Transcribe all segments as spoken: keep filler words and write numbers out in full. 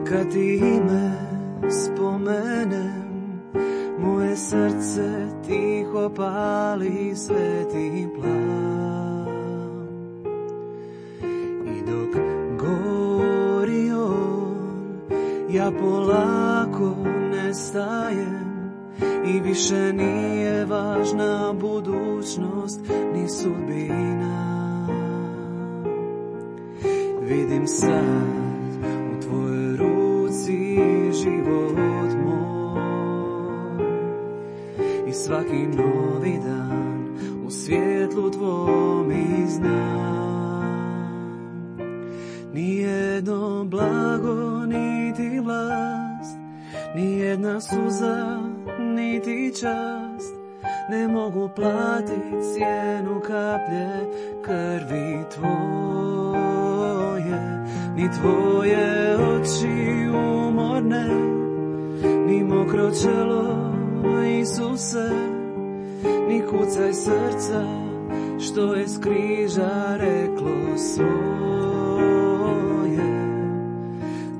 Kad ime spomenem, moje srce tiho pali sveti plam. I dok gori on, ja polako nestajem i više nije važna budućnost ni sudbina. Vidim sad u tvojoj ruci život moj i svaki novi dan u svjetlu tvom i znam. Nijedno blago niti vlast, nijedna suza niti čast ne mogu platiti cijenu kaplje krvi tvoje. Ni tvoje oči umorne, ni mokro čelo Isuse, ni kucaj srca što je s križa reklo svoje.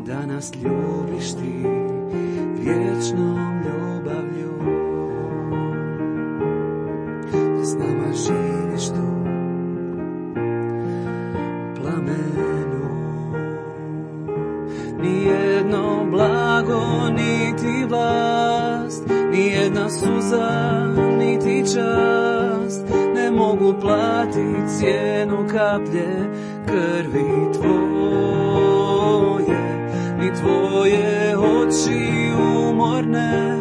Da nas ljubiš ti vječnom ljubavlju, da s nama živiš tu plamenu. Nijedno blago, niti vlast, nijedna suza, niti čast ne mogu platiti cijenu kaplje krvi tvoje. Ni tvoje oči umorne,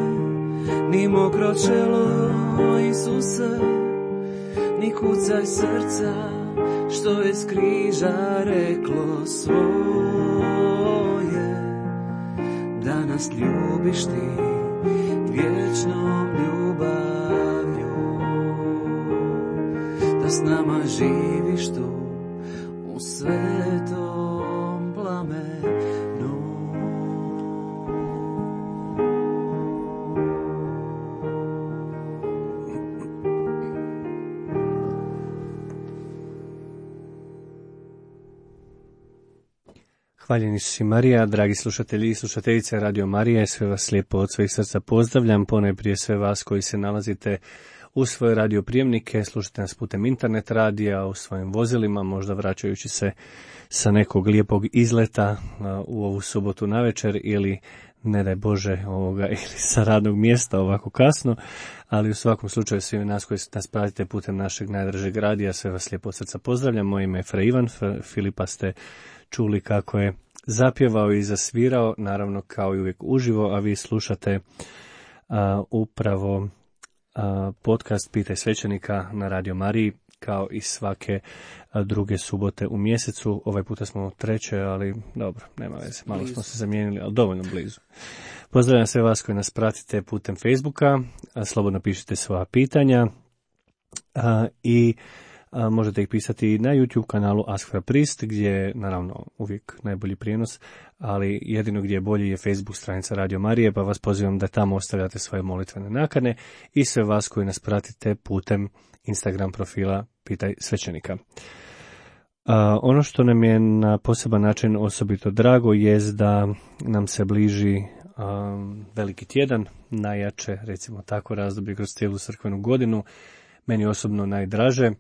ni mokro čelo Isuse, ni kucaj srca što je s križa reklo svoje. Da nas ljubiš ti vječnom ljubavlju, da s nama živiš tu u svetom plamenu. Hvaljeni Isus i Marija, dragi slušatelji i slušateljice Radio Marije, sve vas lijepo od svojih srca pozdravljam, ponajprije sve vas koji se nalazite u svoje radioprijemnike, slušate nas putem internet radija, u svojim vozilima, možda vraćajući se sa nekog lijepog izleta u ovu subotu navečer ili, ne daj Bože, ovoga, ili sa radnog mjesta ovako kasno, ali u svakom slučaju svi nas koji nas pratite putem našeg najdražeg radija, sve vas lijepo od srca pozdravljam. Moje ime je Fra Ivan, Filipa ste čuli kako je zapjevao i zasvirao, naravno kao i uvijek uživo, a vi slušate a, upravo a, podcast Pitaj svećenika na Radio Mariji, kao i svake a, druge subote u mjesecu. Ovaj puta smo treće, ali dobro, nema veze, malo smo se zamijenili, ali dovoljno blizu. Pozdravljam sve vas koji nas pratite putem Facebooka, a, slobodno pišite svoja pitanja a, i A možete ih pisati na YouTube kanalu Ask for a Priest, gdje je naravno uvijek najbolji prijenos, ali jedino gdje je bolji je Facebook stranica Radio Marije, pa vas pozivam da tamo ostavljate svoje molitvene nakane i sve vas koji nas pratite putem Instagram profila Pitaj svećenika. A, ono što nam je na poseban način osobito drago jest da nam se bliži a, veliki tjedan, najjače, recimo tako, razdoblje kroz cijelu crkvenu godinu, meni osobno najdraže.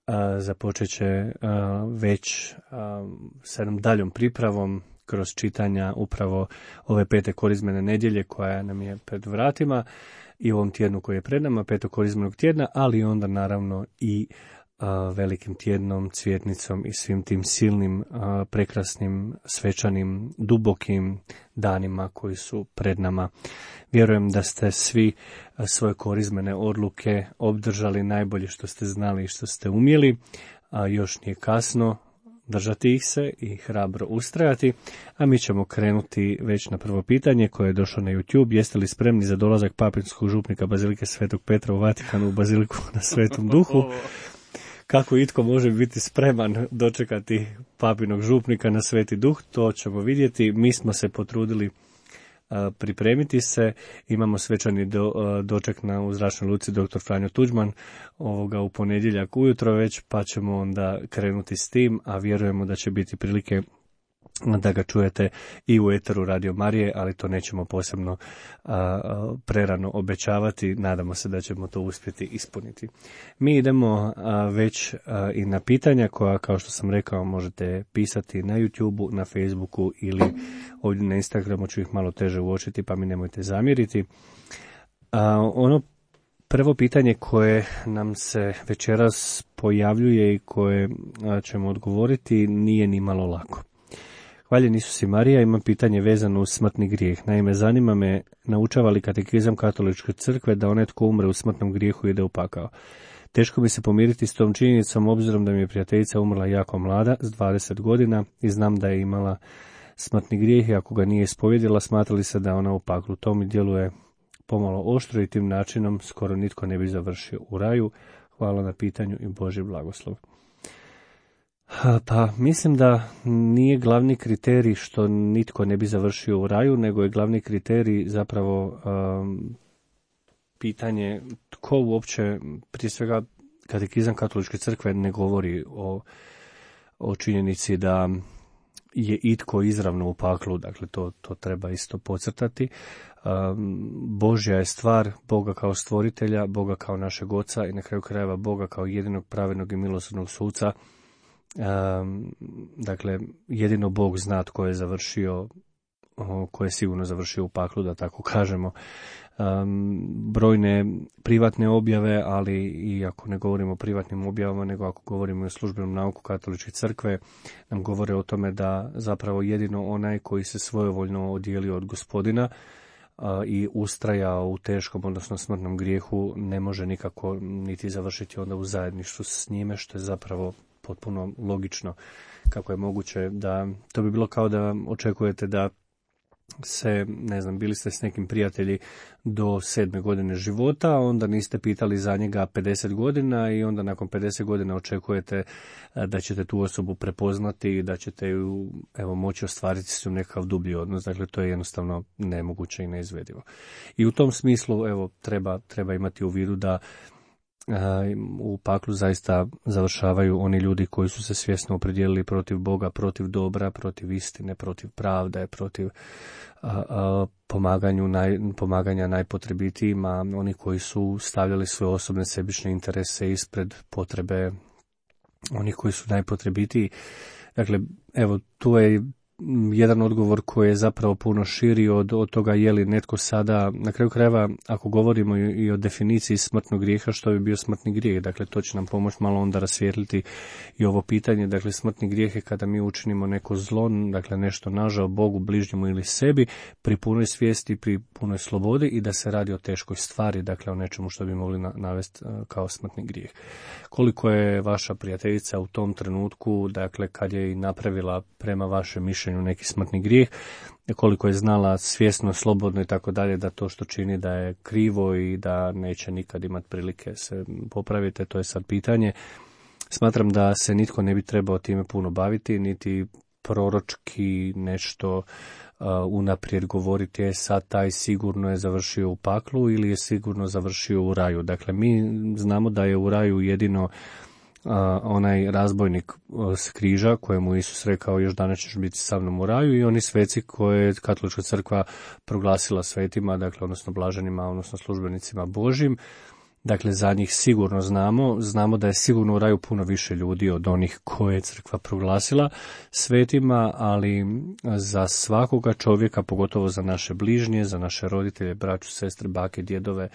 A, započet će a, već a, s jednom daljom pripravom kroz čitanja upravo ove pete korizmene nedjelje koja nam je pred vratima i ovom tjednu koji je pred nama, petog korizmenog tjedna, ali onda naravno i a, velikim tjednom, cvjetnicom i svim tim silnim, a, prekrasnim, svečanim, dubokim danima koji su pred nama. Vjerujem da ste svi svoje korizmene odluke obdržali najbolje što ste znali i što ste umjeli, a još nije kasno držati ih se i hrabro ustrajati, a mi ćemo krenuti već na prvo pitanje koje je došlo na YouTube. Jeste li spremni za dolazak papinskog župnika Bazilike Svetog Petra u Vatikanu u Baziliku na Svetom Duhu? kako itko može biti spreman dočekati papinog župnika na Sveti Duh, to ćemo vidjeti. Mi smo se potrudili pripremiti se, imamo svečani do, doček na u zračnoj luci doktor Franjo Tuđman ovoga u ponedjeljak ujutro već, pa ćemo onda krenuti s tim, a vjerujemo da će biti prilike da ga čujete i u eteru Radio Marije, ali to nećemo posebno a, a, prerano obećavati, nadamo se da ćemo to uspjeti ispuniti. Mi idemo a, već a, i na pitanja koja, kao što sam rekao, možete pisati na YouTubeu, na Facebooku ili ovdje na Instagramu, ću ih malo teže uočiti, pa mi nemojte zamjeriti. A, ono prvo pitanje koje nam se večeras pojavljuje i koje a, ćemo odgovoriti nije ni malo lako. Hvaljen Isus i Marija, ima pitanje vezano uz smrtni grijeh. Naime, zanima me, naučava li katekizam Katoličke crkve da onaj tko umre u smrtnom grijehu ide u pakao? Teško mi se pomiriti s tom činjenicom, obzirom da mi je prijateljica umrla jako mlada, s dvadeset godina, i znam da je imala smrtni grijeh i ako ga nije ispovjedila, smatrali se da je ona u paklu. To mi djeluje pomalo oštro i tim načinom skoro nitko ne bi završio u raju. Hvala na pitanju i Božji blagoslov. Pa mislim da nije glavni kriterij što nitko ne bi završio u raju, nego je glavni kriterij zapravo um, pitanje tko uopće, prije svega katekizam Katoličke crkve ne govori o, o činjenici da je itko izravno u paklu, dakle to, to treba isto podcrtati. Um, Božja je stvar, Boga kao stvoritelja, Boga kao našeg oca i na kraju krajeva Boga kao jedinog pravednog i milosrdnog suca. Um, dakle, jedino Bog zna tko je završio, ko je sigurno završio u paklu, da tako kažemo. Um, brojne privatne objave, ali i ako ne govorimo o privatnim objavama, nego ako govorimo o službenom nauku Katoličke crkve, nam govore o tome da zapravo jedino onaj koji se svojevoljno odijelio od Gospodina uh, i ustrajao u teškom, odnosno smrtnom grijehu, ne može nikako niti završiti onda u zajedništvu s njime, što je zapravo potpuno logično. Kako je moguće da, to bi bilo kao da očekujete da se, ne znam, bili ste s nekim prijatelji do sedme godine života, a onda niste pitali za njega pedeset godina i onda nakon pedeset godina očekujete da ćete tu osobu prepoznati i da ćete ju, evo, moći ostvariti s njom nekakav dublji odnos. Dakle, to je jednostavno nemoguće i neizvedivo. I u tom smislu, evo, treba, treba imati u vidu da u paklu zaista završavaju oni ljudi koji su se svjesno opredijelili protiv Boga, protiv dobra, protiv istine, protiv pravde, protiv a, a, pomaganju naj, pomaganja najpotrebitijima, oni koji su stavljali svoje osobne sebične interese ispred potrebe onih koji su najpotrebitiji. Dakle, evo, tu je jedan odgovor koji je zapravo puno širi od, od toga je li netko sada, na kraju krajeva, ako govorimo i, i o definiciji smrtnog grijeha, što bi bio smrtni grijeh, dakle to će nam pomoći malo onda rasvijetliti i ovo pitanje. Dakle, smrtni grijeh je kada mi učinimo neko zlo, dakle nešto nažao Bogu, bližnjemu ili sebi, pri punoj svijesti, pri punoj slobodi i da se radi o teškoj stvari, dakle o nečemu što bi mogli na, navesti kao smrtni grijeh. Koliko je vaša prijateljica u tom trenutku, dakle kad je i napravila prema vašem mišljenju neki smrtni grijeh, koliko je znala svjesno, slobodno i tako dalje da to što čini da je krivo i da neće nikad imati prilike se popraviti, to je sad pitanje. Smatram da se nitko ne bi trebao time puno baviti, niti proročki nešto uh, unaprijed govoriti je sad taj sigurno je završio u paklu ili je sigurno završio u raju. Dakle, mi znamo da je u raju jedino Uh, onaj razbojnik uh, s križa kojemu Isus rekao još danas ćeš biti sa mnom u raju i oni sveci koje je Katolička crkva proglasila svetima, dakle odnosno blaženima, odnosno službenicima Božjim. Dakle, za njih sigurno znamo, znamo da je sigurno u raju puno više ljudi od onih koje je crkva proglasila svetima, ali za svakoga čovjeka, pogotovo za naše bližnje, za naše roditelje, braću, sestre, bake, djedove,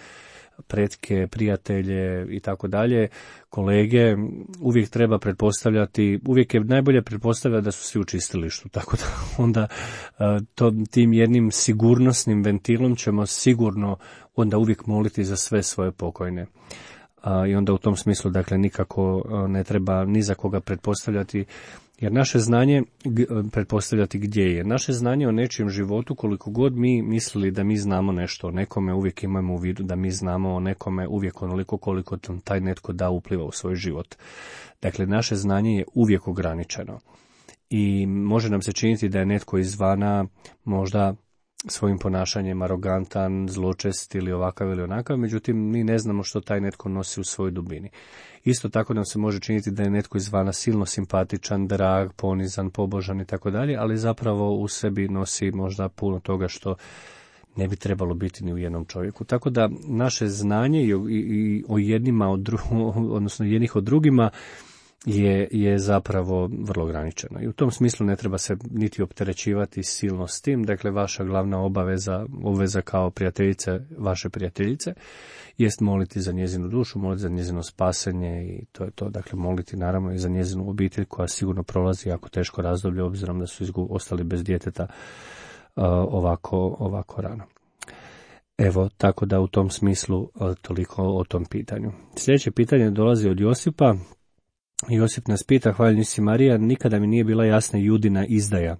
pretke, prijatelje i tako dalje, kolege, uvijek treba pretpostavljati, uvijek je najbolje pretpostavljati da su svi u čistilištu, tako da onda to, tim jednim sigurnosnim ventilom ćemo sigurno onda uvijek moliti za sve svoje pokojne. a, i onda u tom smislu dakle nikako ne treba ni za koga pretpostavljati, jer naše znanje, pretpostavljati gdje je, naše znanje o nečijem životu, koliko god mi mislili da mi znamo nešto o nekome, uvijek imamo u vidu da mi znamo o nekome uvijek onoliko koliko taj netko da upliva u svoj život. Dakle, naše znanje je uvijek ograničeno i može nam se činiti da je netko izvana možda svojim ponašanjem arogantan, zločest ili ovakav ili onakav, međutim mi ne znamo što taj netko nosi u svojoj dubini. Isto tako nam se može činiti da je netko izvana silno simpatičan, drag, ponizan, pobožan i tako dalje, ali zapravo u sebi nosi možda puno toga što ne bi trebalo biti ni u jednom čovjeku. Tako da naše znanje i o, i, i o jednima, od dru, odnosno jednih od drugima je, je zapravo vrlo ograničeno. I u tom smislu ne treba se niti opterećivati silno s tim. Dakle, vaša glavna obaveza, obveza kao prijateljice, vaše prijateljice, jest moliti za njezinu dušu, moliti za njezino spasenje i to je to. Dakle, moliti naravno i za njezinu obitelj koja sigurno prolazi jako teško razdoblje, obzirom da su izgu, ostali bez djeteta uh, ovako, ovako rano. Evo, tako da u tom smislu uh, toliko o tom pitanju. Sljedeće pitanje dolazi od Josipa. Josip nas pita, hvaljeni si Marija, nikada mi nije bila jasna Judina izdaja.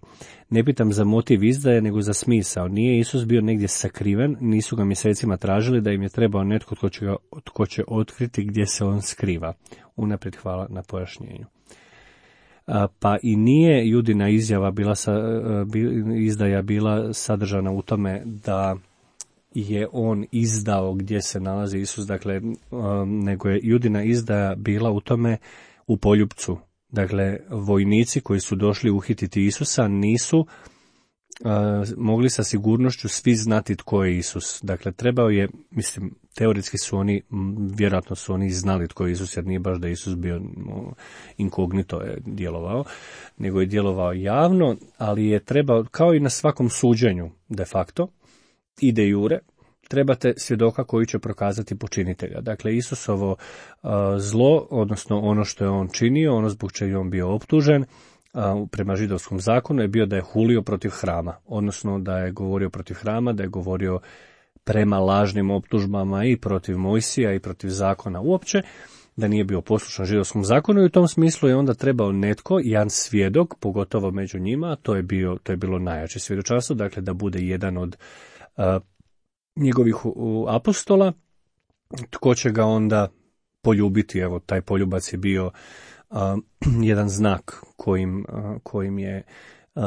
Ne pitam za motiv izdaje, nego za smisao. Nije Isus bio negdje sakriven, nisu ga mjesecima tražili da im je trebao netko tko će, ga, tko će otkriti gdje se on skriva. Unaprijed hvala na pojašnjenju. A, pa i nije Judina izjava bila sa, izdaja bila sadržana u tome da je on izdao gdje se nalazi Isus, dakle, nego je Judina izdaja bila u tome u poljupcu. Dakle, vojnici koji su došli uhititi Isusa nisu uh, mogli sa sigurnošću svi znati tko je Isus. Dakle, trebao je, mislim, teoretski su oni, vjerojatno su oni znali tko je Isus, jer nije baš da je Isus bio inkognito je djelovao, nego je djelovao javno, ali je trebao, kao i na svakom suđenju, de facto, i de jure, trebate svjedoka koji će prokazati počinitelja. Dakle, Isusovo uh, zlo, odnosno ono što je on činio, ono zbog čega je on bio optužen, uh, prema židovskom zakonu je bio da je hulio protiv hrama, odnosno da je govorio protiv hrama, da je govorio prema lažnim optužbama i protiv Mojsija i protiv zakona uopće, da nije bio poslušan židovskom zakonu i u tom smislu je onda trebao netko, jedan svjedok, pogotovo među njima, to je, bio, to je bilo najjače svjedočanstvo, dakle da bude jedan od uh, njegovih apostola, tko će ga onda poljubiti. Evo, taj poljubac je bio uh, jedan znak kojim, uh, kojim je uh,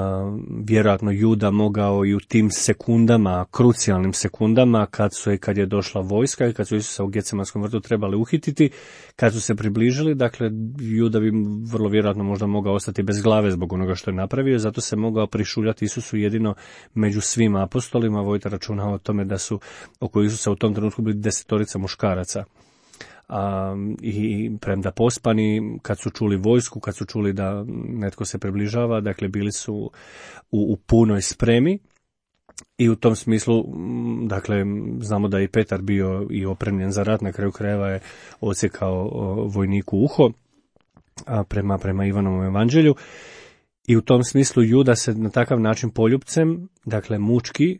vjerojatno Juda mogao i u tim sekundama, krucijalnim sekundama, kad su kad je došla vojska i kad su Isusa u Getsemanskom vrtu trebali uhititi, kad su se približili, dakle Juda bi vrlo vjerojatno možda mogao ostati bez glave zbog onoga što je napravio, zato se mogao prišuljati Isusu jedino među svim apostolima. Vodite računa o tome da su oko Isusa u tom trenutku bili desetorica muškaraca. A, i premda pospani, kad su čuli vojsku, kad su čuli da netko se približava, dakle bili su u, u punoj spremi i u tom smislu, dakle, znamo da je i Petar bio i opremljen za rat, na kraju krajeva je odsjekao vojniku uho, a prema, prema Ivanovom evanđelju, i u tom smislu Juda se na takav način poljupcem, dakle mučki,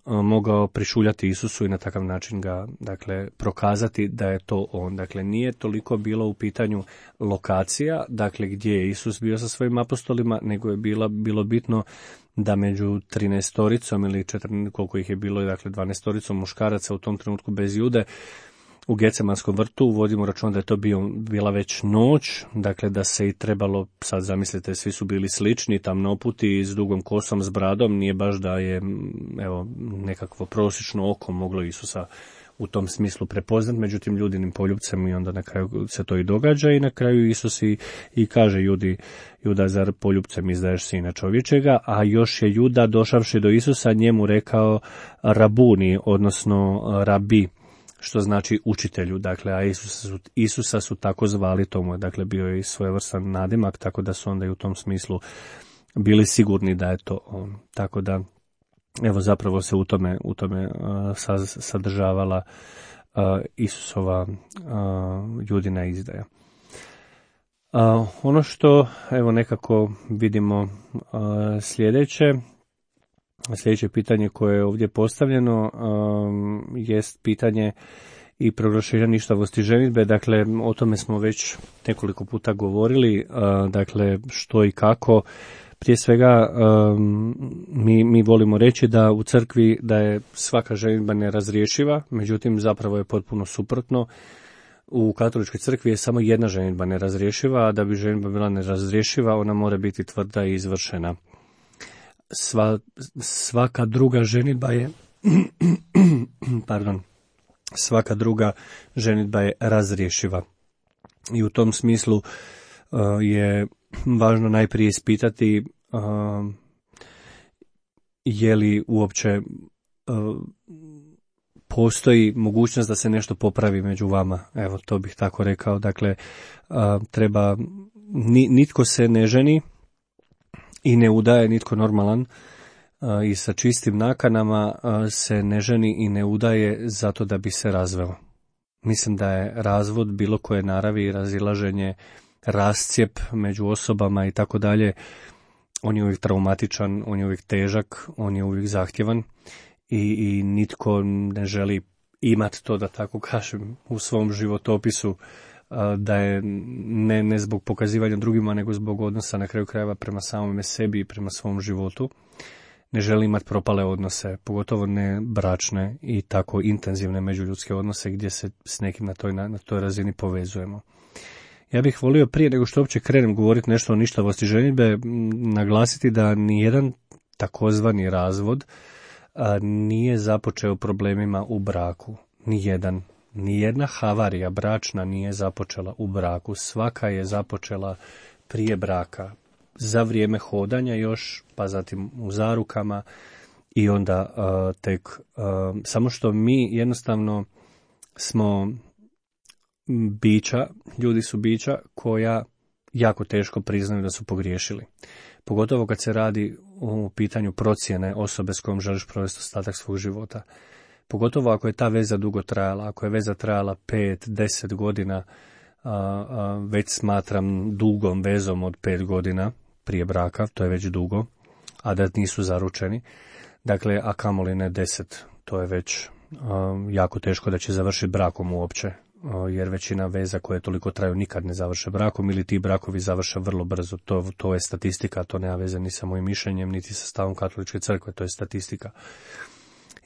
mogao prišuljati Isusu i na takav način ga, dakle, prokazati da je to on. Dakle, nije toliko bilo u pitanju lokacija, dakle, gdje je Isus bio sa svojim apostolima, nego je bila, bilo bitno da među trinaestoricom ili četrnaest, koliko ih je bilo, dakle, dvanaestoricom muškaraca u tom trenutku bez Jude, u Getsemanskom vrtu, vodimo račun da je to bio, bila već noć, dakle da se i trebalo, sad zamislite, svi su bili slični, tamnoputi, s dugom kosom, s bradom, nije baš da je, evo, nekakvo prosječno oko moglo Isusa u tom smislu prepoznat, međutim ljudinim poljupcem i onda na kraju se to i događa i na kraju Isus i, i kaže Judi, Juda, zar poljupcem izdaješ sina čovječega, a još je Juda došavši do Isusa njemu rekao rabuni, odnosno rabi, što znači učitelju, dakle, a Isusa su, Isusa su tako zvali, tomu je, dakle, bio je i svojevrstan nadimak, tako da su onda i u tom smislu bili sigurni da je to on. Tako da, evo, zapravo se u tome, u tome uh, sadržavala uh, Isusova uh, Judina izdaja. Uh, ono što, evo, nekako vidimo uh, sljedeće, Sljedeće pitanje koje je ovdje postavljeno um, jest pitanje i proglašenja ništavosti ženidbe. Dakle, o tome smo već nekoliko puta govorili, dakle, što i kako. Prije svega, mi, mi volimo reći da u crkvi da je svaka ženidba nerazriješiva, međutim, zapravo je potpuno suprotno. U katoličkoj crkvi je samo jedna ženidba nerazriješiva, a da bi ženidba bila nerazriješiva, ona mora biti tvrda i izvršena. Sva, svaka druga ženidba je pardon, svaka druga ženidba je razriješiva. I u tom smislu uh, je važno najprije ispitati uh, je li uopće uh, postoji mogućnost da se nešto popravi među vama. Evo, to bih tako rekao. Dakle, uh, treba, ni, nitko se ne ženi i ne udaje, nitko normalan uh, i sa čistim nakanama uh, se ne ženi i ne udaje zato da bi se razveo. Mislim da je razvod bilo koje naravi i razilaženje, rascijep među osobama i tako dalje, on je uvijek traumatičan, on je uvijek težak, on je uvijek zahtjevan i, i nitko ne želi imati to, da tako kažem, u svom životopisu, da je ne, ne zbog pokazivanja drugima, nego zbog odnosa na kraju krajeva prema samome sebi i prema svom životu. Ne želi imati propale odnose, pogotovo ne bračne i tako intenzivne međuljudske odnose gdje se s nekim na toj, na, na toj razini povezujemo. Ja bih volio prije nego što uopće krenem govoriti nešto o ništavosti ženidbe, naglasiti da nijedan takozvani razvod a, nije započeo problemima u braku. Nijedan. Nijedna havarija bračna nije započela u braku. Svaka je započela prije braka, za vrijeme hodanja još, pa zatim u zarukama i onda uh, tek, uh, samo što mi jednostavno smo bića, ljudi su bića koja jako teško priznaju da su pogriješili. Pogotovo kad se radi o pitanju procjene osobe s kojom želiš provesti ostatak svog života. Pogotovo ako je ta veza dugo trajala, ako je veza trajala pet, deset godina, a, a, već smatram dugom vezom od pet godina prije braka, to je već dugo, a da nisu zaručeni. Dakle, a kamoli ne deset, to je već a, jako teško da će završiti brakom uopće, a, jer većina veza koje toliko traju nikad ne završe brakom ili ti brakovi završe vrlo brzo. To, to je statistika, to nema veze ni sa mojim mišljenjem, niti sa stavom katoličke crkve, to je statistika.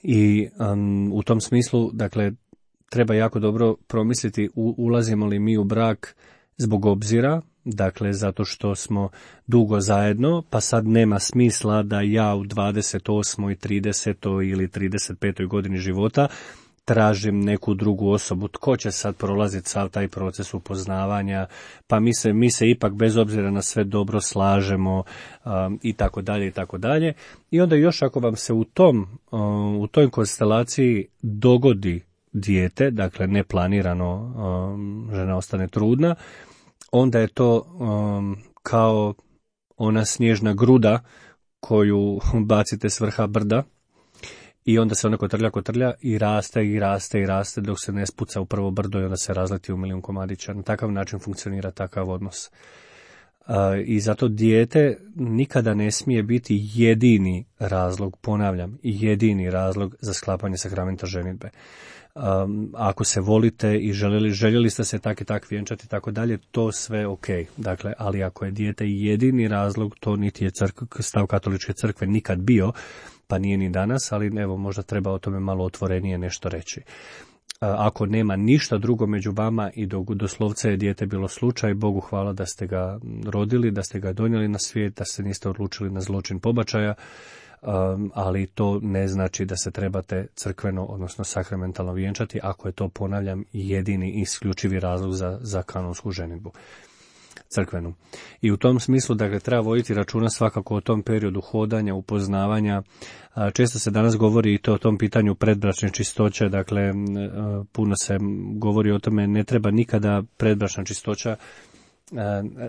I um, u tom smislu, dakle, treba jako dobro promisliti u, ulazimo li mi u brak zbog obzira, dakle, zato što smo dugo zajedno, pa sad nema smisla da ja u dvadeset osmoj, tridesetoj ili trideset petoj godini života tražim neku drugu osobu. Tko će sad prolaziti sav taj proces upoznavanja, pa mi se, mi se ipak bez obzira na sve dobro slažemo um, i tako dalje i tako dalje. I onda još ako vam se u tom, um, u toj konstelaciji dogodi dijete, dakle neplanirano um, žena ostane trudna, onda je to um, kao ona snježna gruda koju bacite s vrha brda, i onda se ona kotrlja, kotrlja i raste i raste i raste dok se ne spuca u prvo brdo i onda se razleti u milijun komadića. Na takav način funkcionira takav odnos. Uh, I zato dijete nikada ne smije biti jedini razlog, ponavljam, jedini razlog za sklapanje sakramenta ženidbe. Um, ako se volite i željeli, željeli ste se tak i tak vjenčati i tako dalje, to sve ok. Dakle, ali ako je dijete jedini razlog, to niti je crk, stav katoličke crkve nikad bio, pa nije ni danas, ali evo možda treba o tome malo otvorenije nešto reći. Ako nema ništa drugo među vama i do, doslovce je dijete bilo slučaj, Bogu hvala da ste ga rodili, da ste ga donijeli na svijet, da se niste odlučili na zločin pobačaja, um, ali to ne znači da se trebate crkveno, odnosno sakramentalno vjenčati, ako je to, ponavljam, jedini i isključivi razlog za, za kanonsku ženidbu crkvenu. I u tom smislu, dakle, treba voditi računa svakako o tom periodu hodanja, upoznavanja. Često se danas govori i to o tom pitanju predbračne čistoće, dakle, puno se govori o tome, ne treba nikada predbračna čistoća.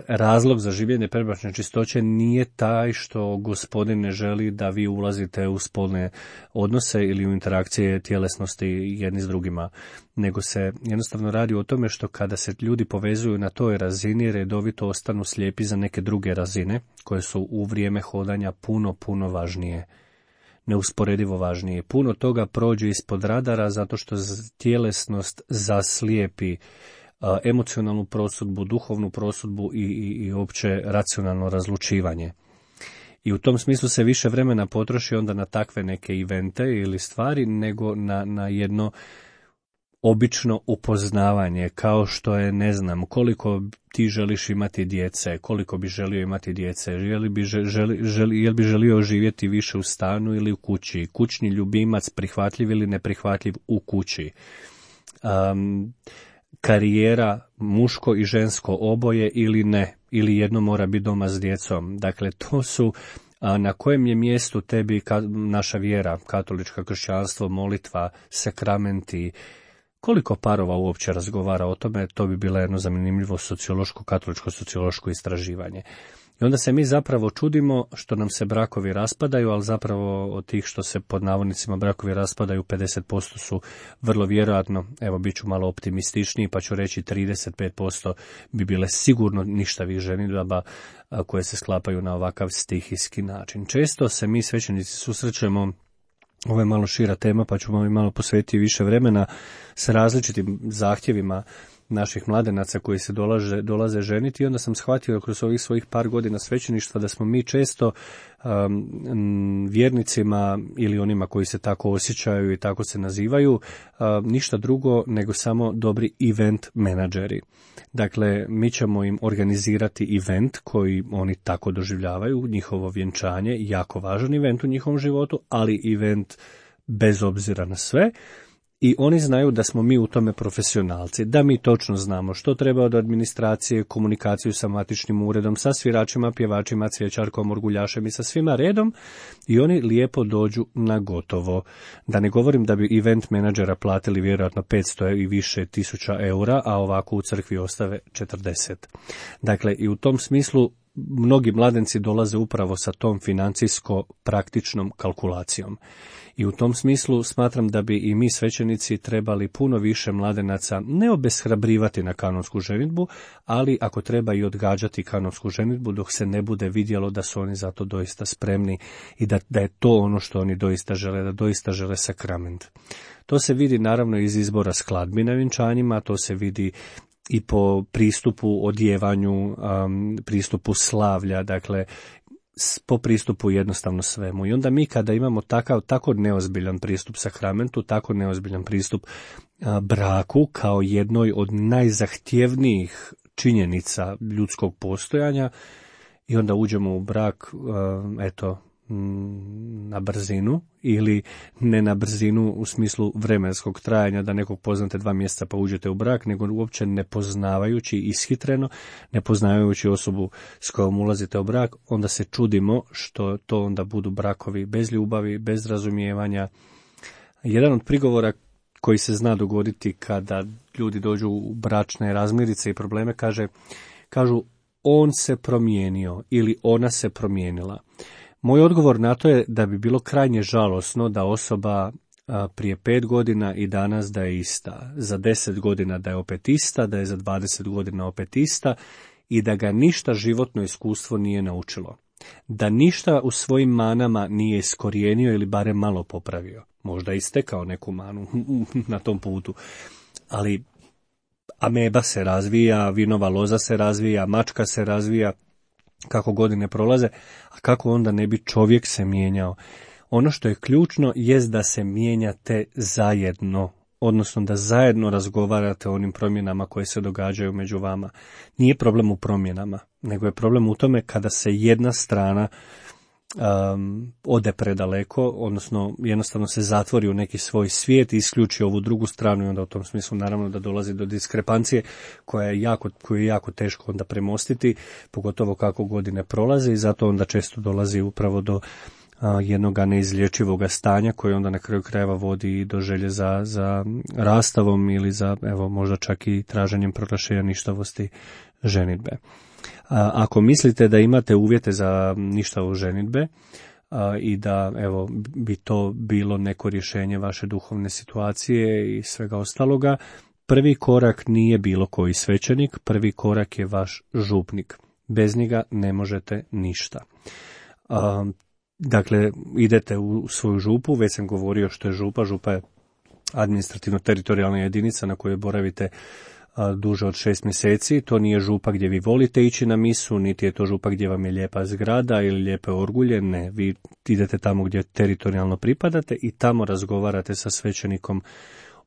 Razlog za življenje predbračne čistoće nije taj što Gospodin ne želi da vi ulazite u spolne odnose ili u interakcije tjelesnosti jedni s drugima, nego se jednostavno radi o tome što kada se ljudi povezuju na toj razini, redovito ostanu slijepi za neke druge razine koje su u vrijeme hodanja puno, puno važnije. neusporedivo važnije. Puno toga prođe ispod radara zato što tjelesnost zaslijepi emocionalnu prosudbu, duhovnu prosudbu i, i, i opće racionalno razlučivanje. I u tom smislu se više vremena potroši onda na takve neke evente ili stvari nego na, na jedno obično upoznavanje, kao što je, ne znam, koliko ti želiš imati djece, koliko bi želio imati djece, jel bi, želi, želi, jel bi želio živjeti više u stanu ili u kući, kućni ljubimac prihvatljiv ili neprihvatljiv u kući. Um, karijera muško i žensko oboje ili ne, ili jedno mora biti doma s djecom. Dakle, to su a, na kojem je mjestu tebi ka, naša vjera, katolička, kršćanstvo, molitva, sakramenti. Koliko parova uopće razgovara o tome, to bi bilo jedno zanimljivo sociološko, katoličko sociološko istraživanje. I onda se mi zapravo čudimo što nam se brakovi raspadaju, ali zapravo od tih što se pod navodnicima brakovi raspadaju, pedeset posto su vrlo vjerojatno, evo bit ću malo optimističniji pa ću reći trideset pet posto bi bile sigurno ništavih ženidaba koje se sklapaju na ovakav stihijski način. Često se mi svećenici susrećemo, ovo je malo šira tema pa ću malo, malo posvetiti više vremena, s različitim zahtjevima naših mladenaca koji se dolaze, dolaze ženiti i onda sam shvatio kroz ovih svojih par godina svećeništva da smo mi često um, vjernicima ili onima koji se tako osjećaju i tako se nazivaju um, ništa drugo nego samo dobri event menadžeri. Dakle, mi ćemo im organizirati event koji oni tako doživljavaju, njihovo vjenčanje, jako važan event u njihovom životu, ali event bez obzira na sve. I oni znaju da smo mi u tome profesionalci, da mi točno znamo što treba od administracije, komunikaciju sa matičnim uredom, sa sviračima, pjevačima, cvjećarkom, orguljašem i sa svima redom i oni lijepo dođu na gotovo. Da ne govorim da bi event menadžera platili vjerojatno petsto i više tisuća eura, a ovako u crkvi ostave četrdeset. Dakle, i u tom smislu mnogi mladenci dolaze upravo sa tom financijsko-praktičnom kalkulacijom. I u tom smislu smatram da bi i mi svećenici trebali puno više mladenaca ne obeshrabrivati na kanonsku ženidbu, ali ako treba i odgađati kanonsku ženidbu dok se ne bude vidjelo da su oni za to doista spremni i da, da je to ono što oni doista žele, da doista žele sakrament. To se vidi naravno iz izbora skladbi na vjenčanjima, to se vidi i po pristupu odjevanju, um, pristupu slavlja, dakle po pristupu jednostavno svemu. I onda mi kada imamo takav, tako neozbiljan pristup sakramentu, tako neozbiljan pristup a, braku kao jednoj od najzahtjevnijih činjenica ljudskog postojanja i onda uđemo u brak, a, eto, na brzinu ili ne na brzinu u smislu vremenskog trajanja da nekog poznate dva mjeseca pa uđete u brak, nego uopće ne poznavajući ishitreno, ne poznavajući osobu s kojom ulazite u brak, onda se čudimo što to onda budu brakovi bez ljubavi, bez razumijevanja. Jedan od prigovora koji se zna dogoditi kada ljudi dođu u bračne razmirice i probleme, kaže, kažu on se promijenio ili ona se promijenila. Moj odgovor na to je da bi bilo krajnje žalosno da osoba a, prije pet godina i danas da je ista, za deset godina da je opet ista, da je za dvadeset godina opet ista i da ga ništa životno iskustvo nije naučilo. Da ništa u svojim manama nije iskorijenio ili barem malo popravio. Možda istekao neku manu na tom putu, ali ameba se razvija, vinova loza se razvija, mačka se razvija, kako godine prolaze, a kako onda ne bi čovjek se mijenjao. Ono što je ključno jest da se mijenjate zajedno, odnosno da zajedno razgovarate o onim promjenama koje se događaju među vama. Nije problem u promjenama, nego je problem u tome kada se jedna strana um, ode predaleko, odnosno jednostavno se zatvori u neki svoj svijet i isključi ovu drugu stranu i onda u tom smislu naravno da dolazi do diskrepancije koja je jako, koju je jako teško onda premostiti, pogotovo kako godine prolaze i zato onda često dolazi upravo do a, jednoga neizlječivoga stanja koje onda na kraju krajeva vodi do želje za, za rastavom ili za evo možda čak i traženjem proglašenja ništavosti ženidbe. A, ako mislite da imate uvjete za ništavu ženidbe a, i da evo bi to bilo neko rješenje vaše duhovne situacije i svega ostaloga, prvi korak nije bilo koji svećenik, prvi korak je vaš župnik. Bez njega ne možete ništa. A, dakle, idete u svoju župu, već sam govorio što je župa, župa je administrativno-teritorijalna jedinica na kojoj boravite a, duže od šest mjeseci. To nije župa gdje vi volite ići na misu, niti je to župa gdje vam je lijepa zgrada ili lijepe orgulje, ne, vi idete tamo gdje teritorijalno pripadate i tamo razgovarate sa svećenikom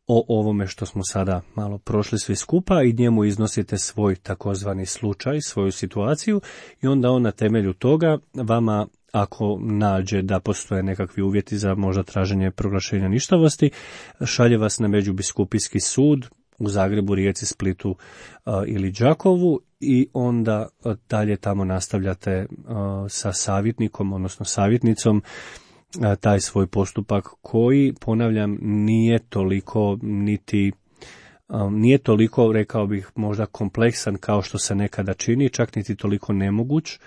o ovome što smo sada malo prošli svi skupa i njemu iznosite svoj takozvani slučaj, svoju situaciju i onda on na temelju toga vama, ako nađe da postoje nekakvi uvjeti za možda traženje proglašenja ništavosti, šalje vas na međubiskupijski sud u Zagrebu, Rijeci, Splitu a, ili Đakovu i onda a, dalje tamo nastavljate a, sa savjetnikom, odnosno savjetnicom, a, taj svoj postupak koji, ponavljam, nije toliko niti a, nije toliko, rekao bih, možda kompleksan kao što se nekada čini, čak niti toliko nemoguć.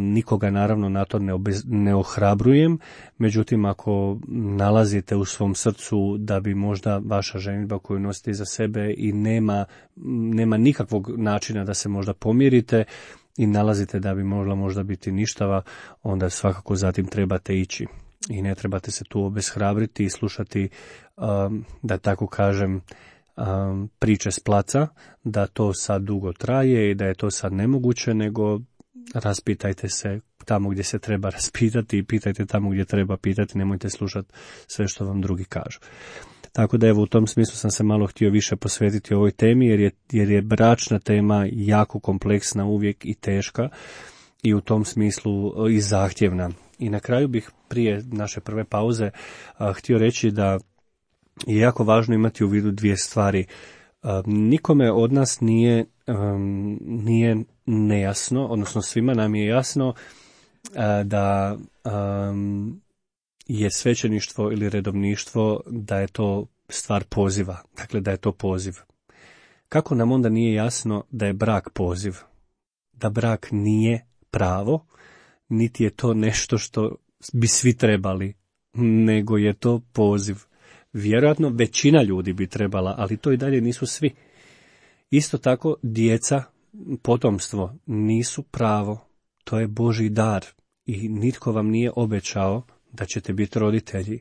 Nikoga naravno na to ne, obez, ne ohrabrujem, međutim ako nalazite u svom srcu da bi možda vaša ženidba koju nosite iza sebe i nema, nema nikakvog načina da se možda pomirite i nalazite da bi mogla možda biti ništava, onda svakako zatim trebate ići i ne trebate se tu obeshrabriti i slušati, um, da tako kažem, um, priče s placa, da to sad dugo traje i da je to sad nemoguće, nego raspitajte se tamo gdje se treba raspitati i pitajte tamo gdje treba pitati, nemojte slušati sve što vam drugi kažu. Tako da evo u tom smislu sam se malo htio više posvetiti ovoj temi jer je, jer je bračna tema jako kompleksna uvijek i teška i u tom smislu i zahtjevna. I na kraju bih prije naše prve pauze a, htio reći da je jako važno imati u vidu dvije stvari. A, nikome od nas nije, um, nije nejasno, odnosno svima nam je jasno a, da um, je svećeništvo ili redovništvo, da je to stvar poziva, dakle da je to poziv. Kako nam onda nije jasno da je brak poziv? Da brak nije pravo, niti je to nešto što bi svi trebali, nego je to poziv. Vjerojatno većina ljudi bi trebala, ali to i dalje nisu svi. Isto tako djeca, potomstvo nisu pravo, to je Božji dar i nitko vam nije obećao da ćete biti roditelji.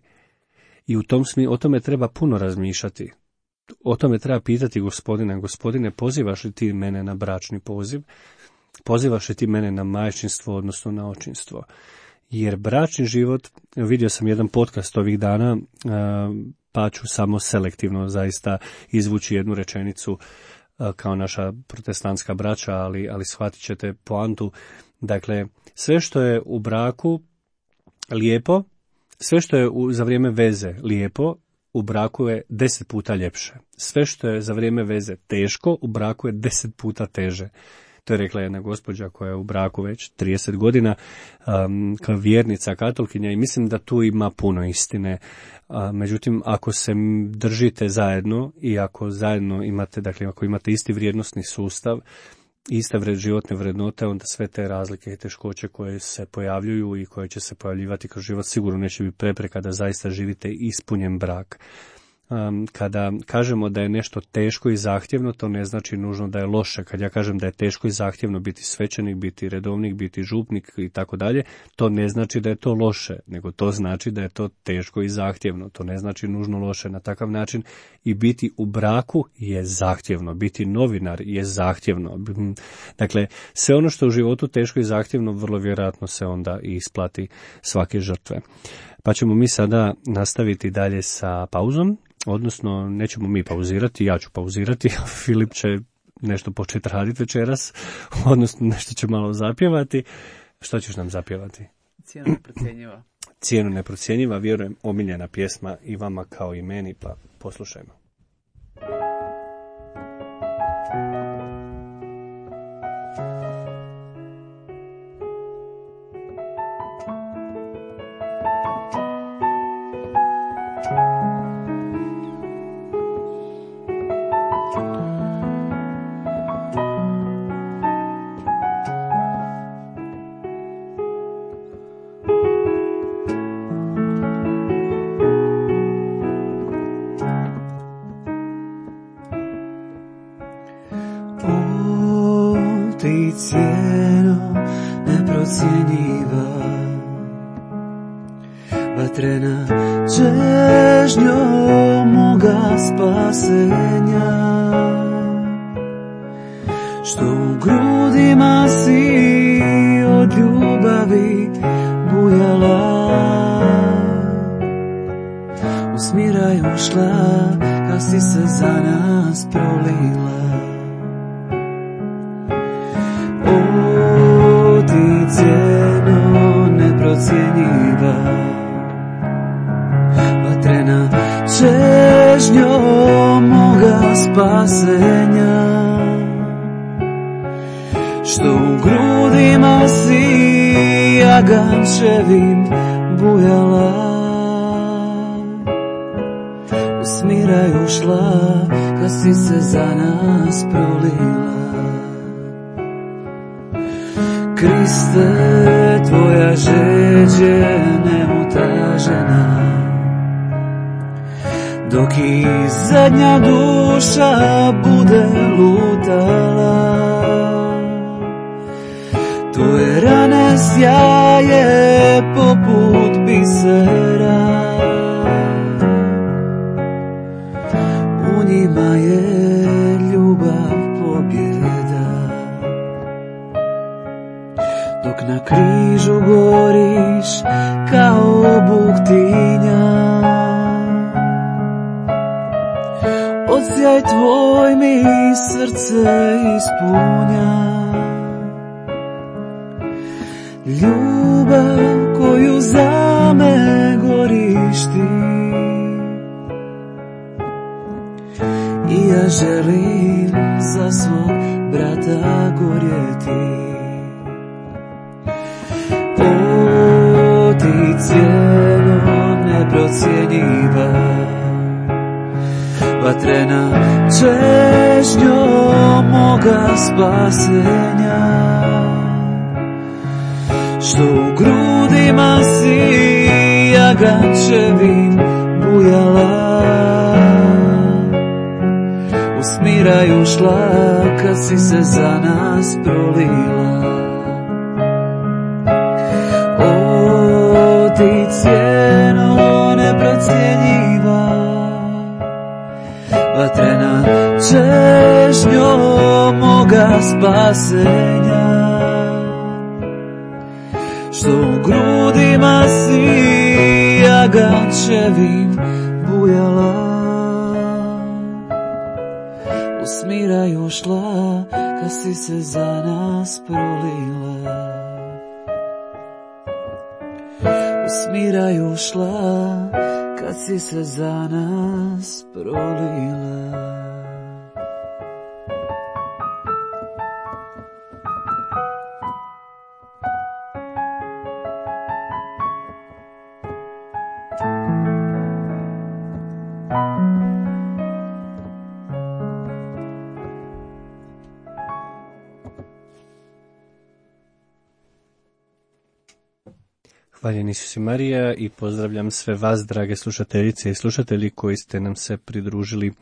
I u tom smi, o tome treba puno razmišljati. O tome treba pitati gospodina, gospodine, pozivaš li ti mene na bračni poziv? Pozivaš li ti mene na majčinstvo, odnosno na očinstvo? Jer bračni život, vidio sam jedan podcast ovih dana, pa ću samo selektivno zaista izvući jednu rečenicu kao naša protestantska braća, ali, ali shvatit ćete poantu. Dakle, sve što je u braku lijepo, sve što je u, za vrijeme veze lijepo, u braku je deset puta ljepše. Sve što je za vrijeme veze teško, u braku je deset puta teže. To je rekla jedna gospođa koja je u braku već trideset godina, um, kao vjernica, katolkinja, i mislim da tu ima puno istine. Uh, međutim, ako se držite zajedno i ako zajedno imate, dakle, ako imate isti vrijednosni sustav, iste vred, životne vrednote, onda sve te razlike i teškoće koje se pojavljuju i koje će se pojavljivati kroz život sigurno neće biti prepreka da zaista živite ispunjen brak. Um, kada kažemo da je nešto teško i zahtjevno, to ne znači nužno da je loše. Kad ja kažem da je teško i zahtjevno biti svećenik, biti redovnik, biti župnik i tako dalje, to ne znači da je to loše, nego to znači da je to teško i zahtjevno. To ne znači nužno loše. Na takav način i biti u braku je zahtjevno, biti novinar je zahtjevno. Dakle, sve ono što u životu teško i zahtjevno, vrlo vjerojatno se onda i isplati svake žrtve. Pa ćemo mi sada nastaviti dalje sa pauzom. Odnosno, nećemo mi pauzirati, ja ću pauzirati, Filip će nešto početi raditi večeras, odnosno nešto će malo zapjevati. Što ćeš nam zapjevati? Cijenu neprocjenjiva. Cijenu neprocjenjiva, vjerujem, omiljena pjesma i vama kao i meni, pa poslušajmo. Cijeno neprocjenjiva, vatrena čežnjo moga spasenja, što u grudima si od ljubavi bujala, u smiraj ušla kad si se za nas prolila. O, ti cijeno neprocjenjiva, vatrena čežnjo moga spasenja, što u grudima si jagančevim bujala, u smiraj ušla kad si se za nas prolila. Kriste, tvoja žeđ je neutažena, dok i zadnja duša bude lutala. Tvoje rane sjaje poput bisera, u njima je ljubav pobjeda. Dok na križu goriš kao buktinja, odsjaj tvoj mi srce ispunja. Ljubav koju za me goriš ti, i ja želim za svog brata gorjeti. O, ti cijeno neprocjenjiva, vatrena čežnjo moga spasenja, što u grudima si jagančevim bujala, u smiraj ušla kad si se za nas prolila. O, ti cijeno neprocjenjiva, vatrena čežnjo moga spasenja, što u grudima si jagančevim bujala, u smiraj ušla kad si se za nas prolila. U smiraj ušla kad si se za nas prolila. Hvaljen Isus i Marija i pozdravljam sve vas, drage slušateljice i slušatelji koji ste nam se pridružili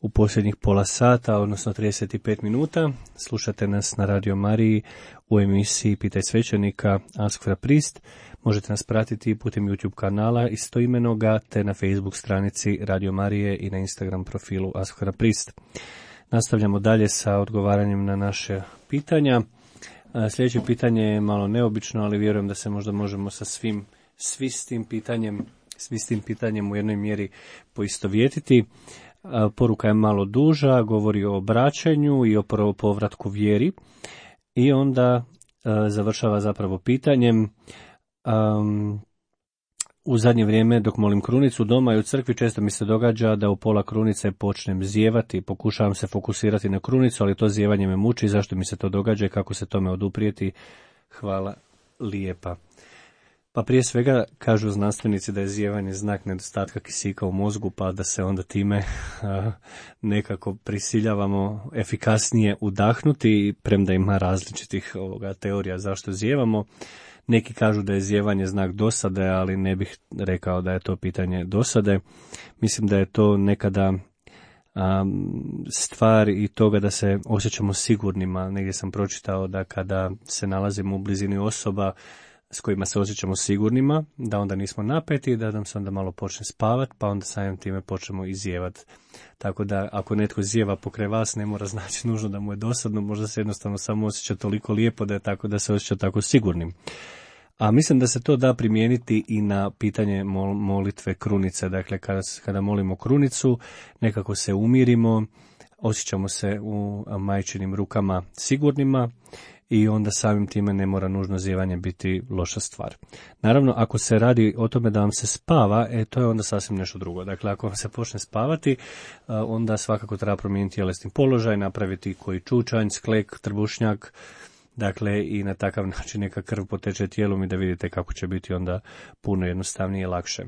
u posljednjih pola sata, odnosno trideset pet minuta. Slušate nas na Radio Mariji u emisiji Pitaj svećenika Ask for a Priest. Možete nas pratiti putem YouTube kanala istoimenoga te na Facebook stranici Radio Marije i na Instagram profilu Ask for a Priest. Nastavljamo dalje sa odgovaranjem na naše pitanja. Sljedeće pitanje je malo neobično, ali vjerujem da se možda možemo sa svim, svi s tim pitanjem, svi s tim pitanjem u jednoj mjeri poistovjetiti. Poruka je malo duža, govori o obraćanju i o povratku vjeri i onda završava zapravo pitanjem. Um, u zadnje vrijeme dok molim krunicu doma i u crkvi često mi se događa da u pola krunice počnem zijevati, pokušavam se fokusirati na krunicu, ali to zijevanje me muči, zašto mi se to događa i kako se tome oduprijeti. Hvala lijepa. Pa prije svega kažu znanstvenici da je zijevanje znak nedostatka kisika u mozgu, pa da se onda time a, nekako prisiljavamo efikasnije udahnuti, premda ima različitih ovoga, teorija zašto zijevamo. Neki kažu da je zijevanje znak dosade, ali ne bih rekao da je to pitanje dosade. Mislim da je to nekada um, stvar i toga da se osjećamo sigurnima. Negdje sam pročitao da kada se nalazimo u blizini osoba, s kojima se osjećamo sigurnima, da onda nismo napeti, da nam se onda malo počne spavati, pa onda samim time počnemo izjevati. Tako da ako netko zjeva pokraj vas, ne mora znači nužno da mu je dosadno, možda se jednostavno samo osjeća toliko lijepo da je tako da se osjeća tako sigurnim. A mislim da se to da primijeniti i na pitanje mol, molitve krunice. Dakle, kada, kada molimo krunicu, nekako se umirimo, osjećamo se u majčinim rukama sigurnima i onda samim time ne mora nužno zjevanje biti loša stvar. Naravno, ako se radi o tome da vam se spava, e, to je onda sasvim nešto drugo. Dakle, ako vam se počne spavati, onda svakako treba promijeniti tjelesni položaj, napraviti koji čučanj, sklek, trbušnjak, dakle i na takav način neka krv poteče tijelom i da vidite kako će biti onda puno jednostavnije i lakše.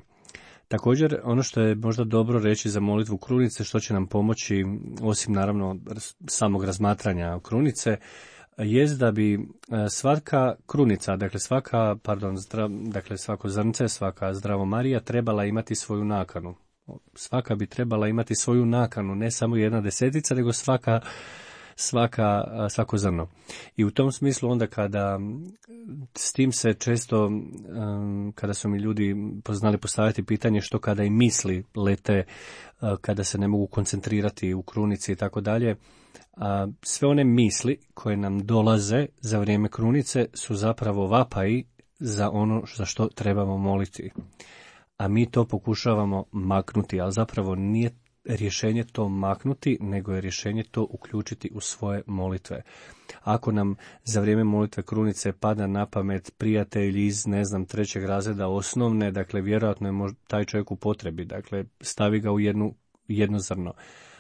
Također, ono što je možda dobro reći za molitvu krunice, što će nam pomoći, osim naravno samog razmatranja krunice, jest da bi svaka krunica, dakle svaka, pardon, zdrav, dakle svako zrnce, svaka zdravo Marija trebala imati svoju nakanu. Svaka bi trebala imati svoju nakanu, ne samo jedna desetica, nego svaka svaka, svako zrno. I u tom smislu onda kada s tim se često, kada su mi ljudi znali postaviti pitanje što kada i misli lete, kada se ne mogu koncentrirati u krunici i tako dalje, sve one misli koje nam dolaze za vrijeme krunice su zapravo vapaji za ono za što trebamo moliti. A mi to pokušavamo maknuti, ali zapravo nije rješenje to maknuti, nego je rješenje to uključiti u svoje molitve. Ako nam za vrijeme molitve krunice pada na pamet prijatelj iz, ne znam, trećeg razreda osnovne, dakle, vjerojatno je možda taj čovjek u potrebi, dakle, stavi ga u jednu, jedno zrno.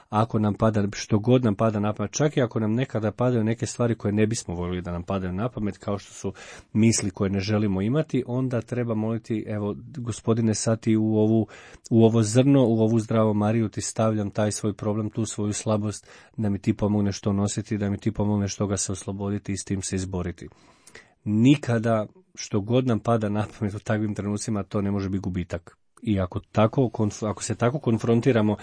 Ako nam pada, što god nam pada na pamet, čak i ako nam nekada padaju neke stvari koje ne bismo voljeli da nam padaju na pamet, kao što su misli koje ne želimo imati, onda treba moliti, evo, Gospodine, sad ti u, ovu, u ovo zrno, u ovu zdravo Mariju ti stavljam taj svoj problem, tu svoju slabost, da mi ti pomogneš to nositi, da mi ti pomogneš toga se osloboditi i s tim se izboriti. Nikada, što god nam pada na pamet u takvim trenucima, to ne može biti gubitak. I ako, tako, ako se tako konfrontiramo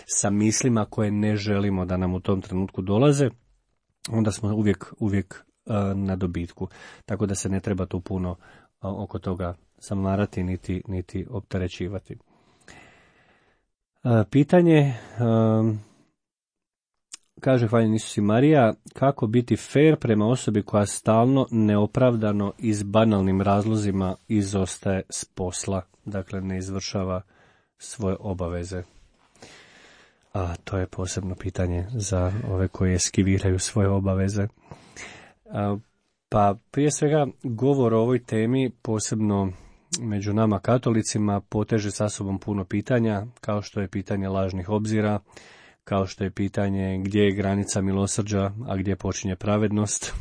sa mislima koje ne želimo da nam u tom trenutku dolaze, onda smo uvijek, uvijek uh, na dobitku. Tako da se ne treba tu puno uh, oko toga zamarati niti, niti opterećivati. Uh, pitanje, uh, kaže hvaljeni Isus i Marija, kako biti fair prema osobi koja stalno, neopravdano i s banalnim razlozima izostaje s posla, dakle ne izvršava svoje obaveze. A to je posebno pitanje za ove koji eskiviraju svoje obaveze. A, pa prije svega govor o ovoj temi, posebno među nama katolicima, poteže sa sobom puno pitanja, kao što je pitanje lažnih obzira, kao što je pitanje gdje je granica milosrđa, a gdje počinje pravednost.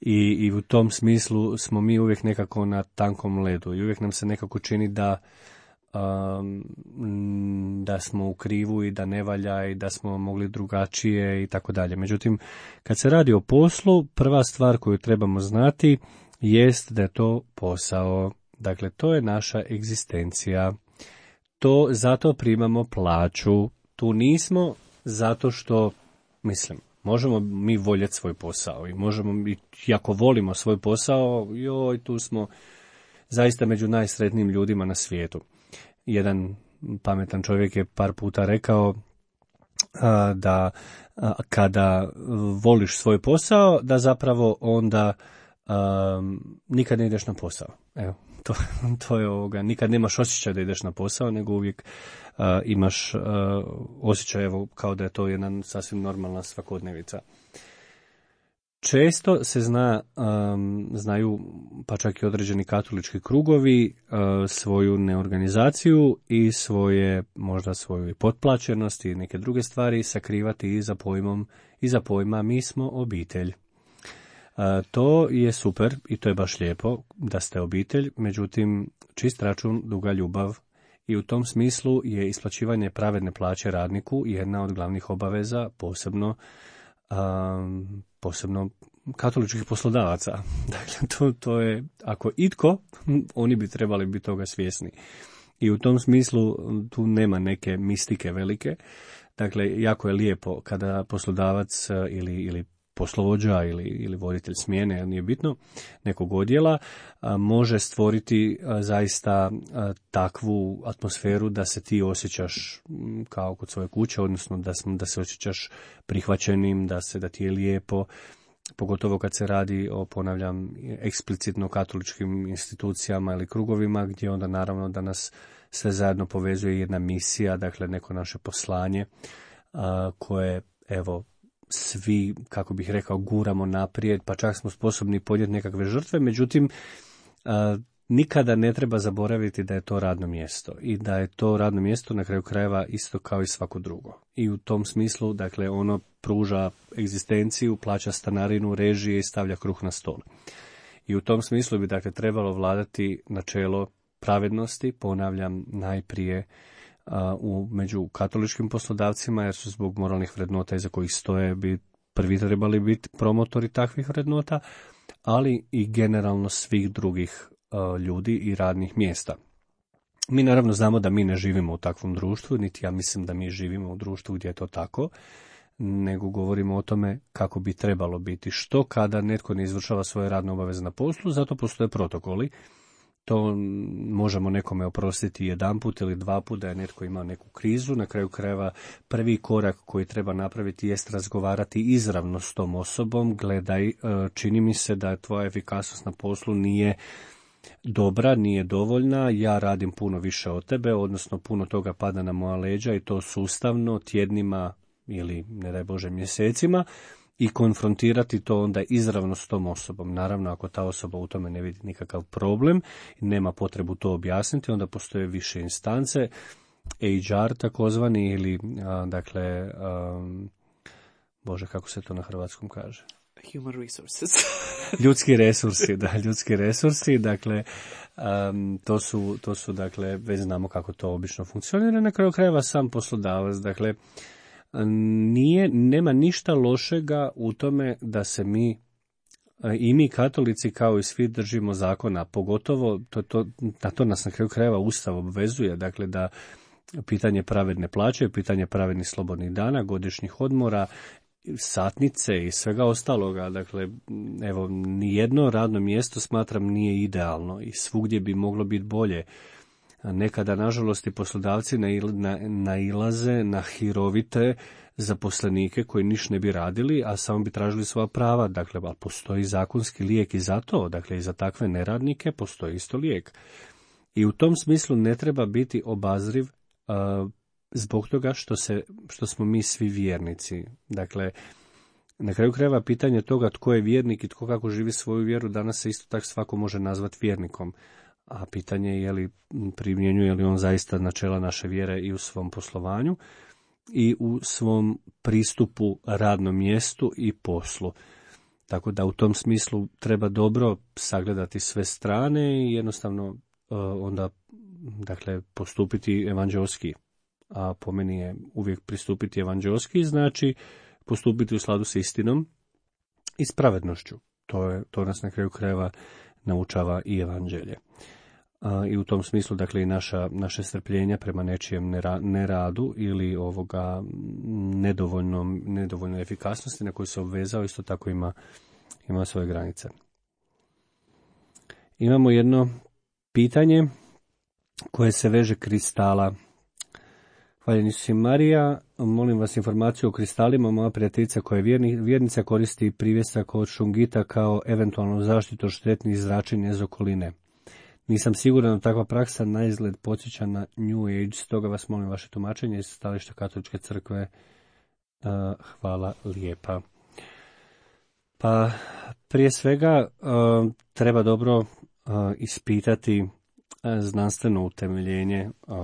I, i u tom smislu smo mi uvijek nekako na tankom ledu i uvijek nam se nekako čini da Um, da smo u krivu i da ne valja i da smo mogli drugačije i tako dalje. Međutim, kad se radi o poslu, prva stvar koju trebamo znati jest da je to posao. Dakle, to je naša egzistencija. To zato primamo plaću. Tu nismo zato što, mislim, možemo mi voljeti svoj posao i možemo, i ako volimo svoj posao, joj, tu smo zaista među najsretnijim ljudima na svijetu. Jedan pametan čovjek je par puta rekao a, da a, kada voliš svoj posao, da zapravo onda a, nikad ne ideš na posao. Evo, to, to je ovoga, nikad nemaš osjećaj da ideš na posao, nego uvijek a, imaš a, osjećaj evo, kao da je to jedna sasvim normalna svakodnevica. Često se zna, um, znaju, pa čak i određeni katolički krugovi, uh, svoju neorganizaciju i svoje, možda svoju potplaćenost i neke druge stvari sakrivati iza pojmom, iza pojma mi smo obitelj. Uh, to je super i to je baš lijepo da ste obitelj, međutim čist račun, duga ljubav i u tom smislu je isplaćivanje pravedne plaće radniku jedna od glavnih obaveza, posebno Um, posebno katoličkih poslodavaca. Dakle, to, to je, ako itko, oni bi trebali biti toga svjesni. I u tom smislu tu nema neke mistike velike. Dakle, jako je lijepo kada poslodavac ili, ili poslovođa ili, ili voditelj smjene, nije bitno, nekog odjela, a, može stvoriti a, zaista a, takvu atmosferu da se ti osjećaš m, kao kod svoje kuće, odnosno da, da se osjećaš prihvaćenim, da se da ti je lijepo, pogotovo kad se radi o, ponavljam, eksplicitno katoličkim institucijama ili krugovima, gdje onda naravno da nas sve zajedno povezuje jedna misija, dakle neko naše poslanje, a, koje, evo, svi, kako bih rekao, guramo naprijed, pa čak smo sposobni podnijeti nekakve žrtve, međutim, a, nikada ne treba zaboraviti da je to radno mjesto i da je to radno mjesto na kraju krajeva isto kao i svako drugo. I u tom smislu, dakle, ono pruža egzistenciju, plaća stanarinu, režije i stavlja kruh na stol. I u tom smislu bi, dakle, trebalo vladati načelo pravednosti, ponavljam, najprije a, u, među katoličkim poslodavcima, jer su zbog moralnih vrednota iza kojih stoje bi prvi trebali biti promotori takvih vrednota, ali i generalno svih drugih a, ljudi i radnih mjesta. Mi naravno znamo da mi ne živimo u takvom društvu, niti ja mislim da mi živimo u društvu gdje je to tako, nego govorimo o tome kako bi trebalo biti. Što kada netko ne izvršava svoje radne obaveze na poslu, zato postoje protokoli. To možemo nekome oprostiti jedanput ili dva put da je netko imao neku krizu. Na kraju krajeva prvi korak koji treba napraviti jest razgovarati izravno s tom osobom. Gledaj, čini mi se da tvoja efikasnost na poslu nije dobra, nije dovoljna, ja radim puno više od tebe, odnosno puno toga pada na moja leđa i to sustavno, tjednima ili, ne daj Bože, mjesecima, i konfrontirati to onda izravno s tom osobom. Naravno, ako ta osoba u tome ne vidi nikakav problem i nema potrebu to objasniti, onda postoje više instance, H R takozvani, ili, a, dakle, a, Bože, kako se to na hrvatskom kaže? Human resources. Ljudski resursi, da, ljudski resursi, dakle, um, to su, to su, dakle, već znamo kako to obično funkcionira, na kraju krajeva sam poslodavac, dakle, nije, nema ništa lošega u tome da se mi, i mi katolici kao i svi, držimo zakona, pogotovo, to, to, na to nas na kraju krajeva Ustav obvezuje, dakle, da pitanje pravedne plaće, pitanje pravednih slobodnih dana, godišnjih odmora, satnice i svega ostaloga, dakle, evo, nijedno radno mjesto smatram nije idealno i svugdje bi moglo biti bolje. Nekada, nažalost, i poslodavci nailaze na hirovite zaposlenike koji niš ne bi radili, a samo bi tražili svoja prava. Dakle, ali postoji zakonski lijek i za to, dakle, i za takve neradnike postoji isto lijek. I u tom smislu ne treba biti obazriv uh, zbog toga što, se, što smo mi svi vjernici. Dakle, na kraju krajeva pitanje toga tko je vjernik i tko kako živi svoju vjeru, danas se isto tako svako može nazvati vjernikom. A pitanje je li primjenjuje li on zaista načela naše vjere i u svom poslovanju i u svom pristupu radnom mjestu i poslu. Tako da u tom smislu treba dobro sagledati sve strane i jednostavno uh, onda, dakle, postupiti evanđelski. A po meni je uvijek pristupiti evanđelski, znači postupiti u skladu s istinom i s pravednošću. To, je, to nas na kraju krajeva naučava i evanđelje. A, i u tom smislu, dakle, i naša, naše strpljenja prema nečijem nera, neradu ili ovoga nedovoljnom, nedovoljnoj efikasnosti na koju se obvezao, isto tako ima, ima svoje granice. Imamo jedno pitanje koje se veže kristala. Hvaljeni Isus i Marija, molim vas informaciju o kristalima. Moja prijateljica koja je vjerni, vjernica koristi privjesak od šungita kao eventualnu zaštitu od štetnih zračenja iz okoline. Nisam siguran da takva praksa na izgled podsjeća na New Age, stoga vas molim vaše tumačenje iz stajališta Katoličke crkve. Uh, hvala lijepa. Pa prije svega uh, treba dobro uh, ispitati uh, znanstveno utemeljenje uh,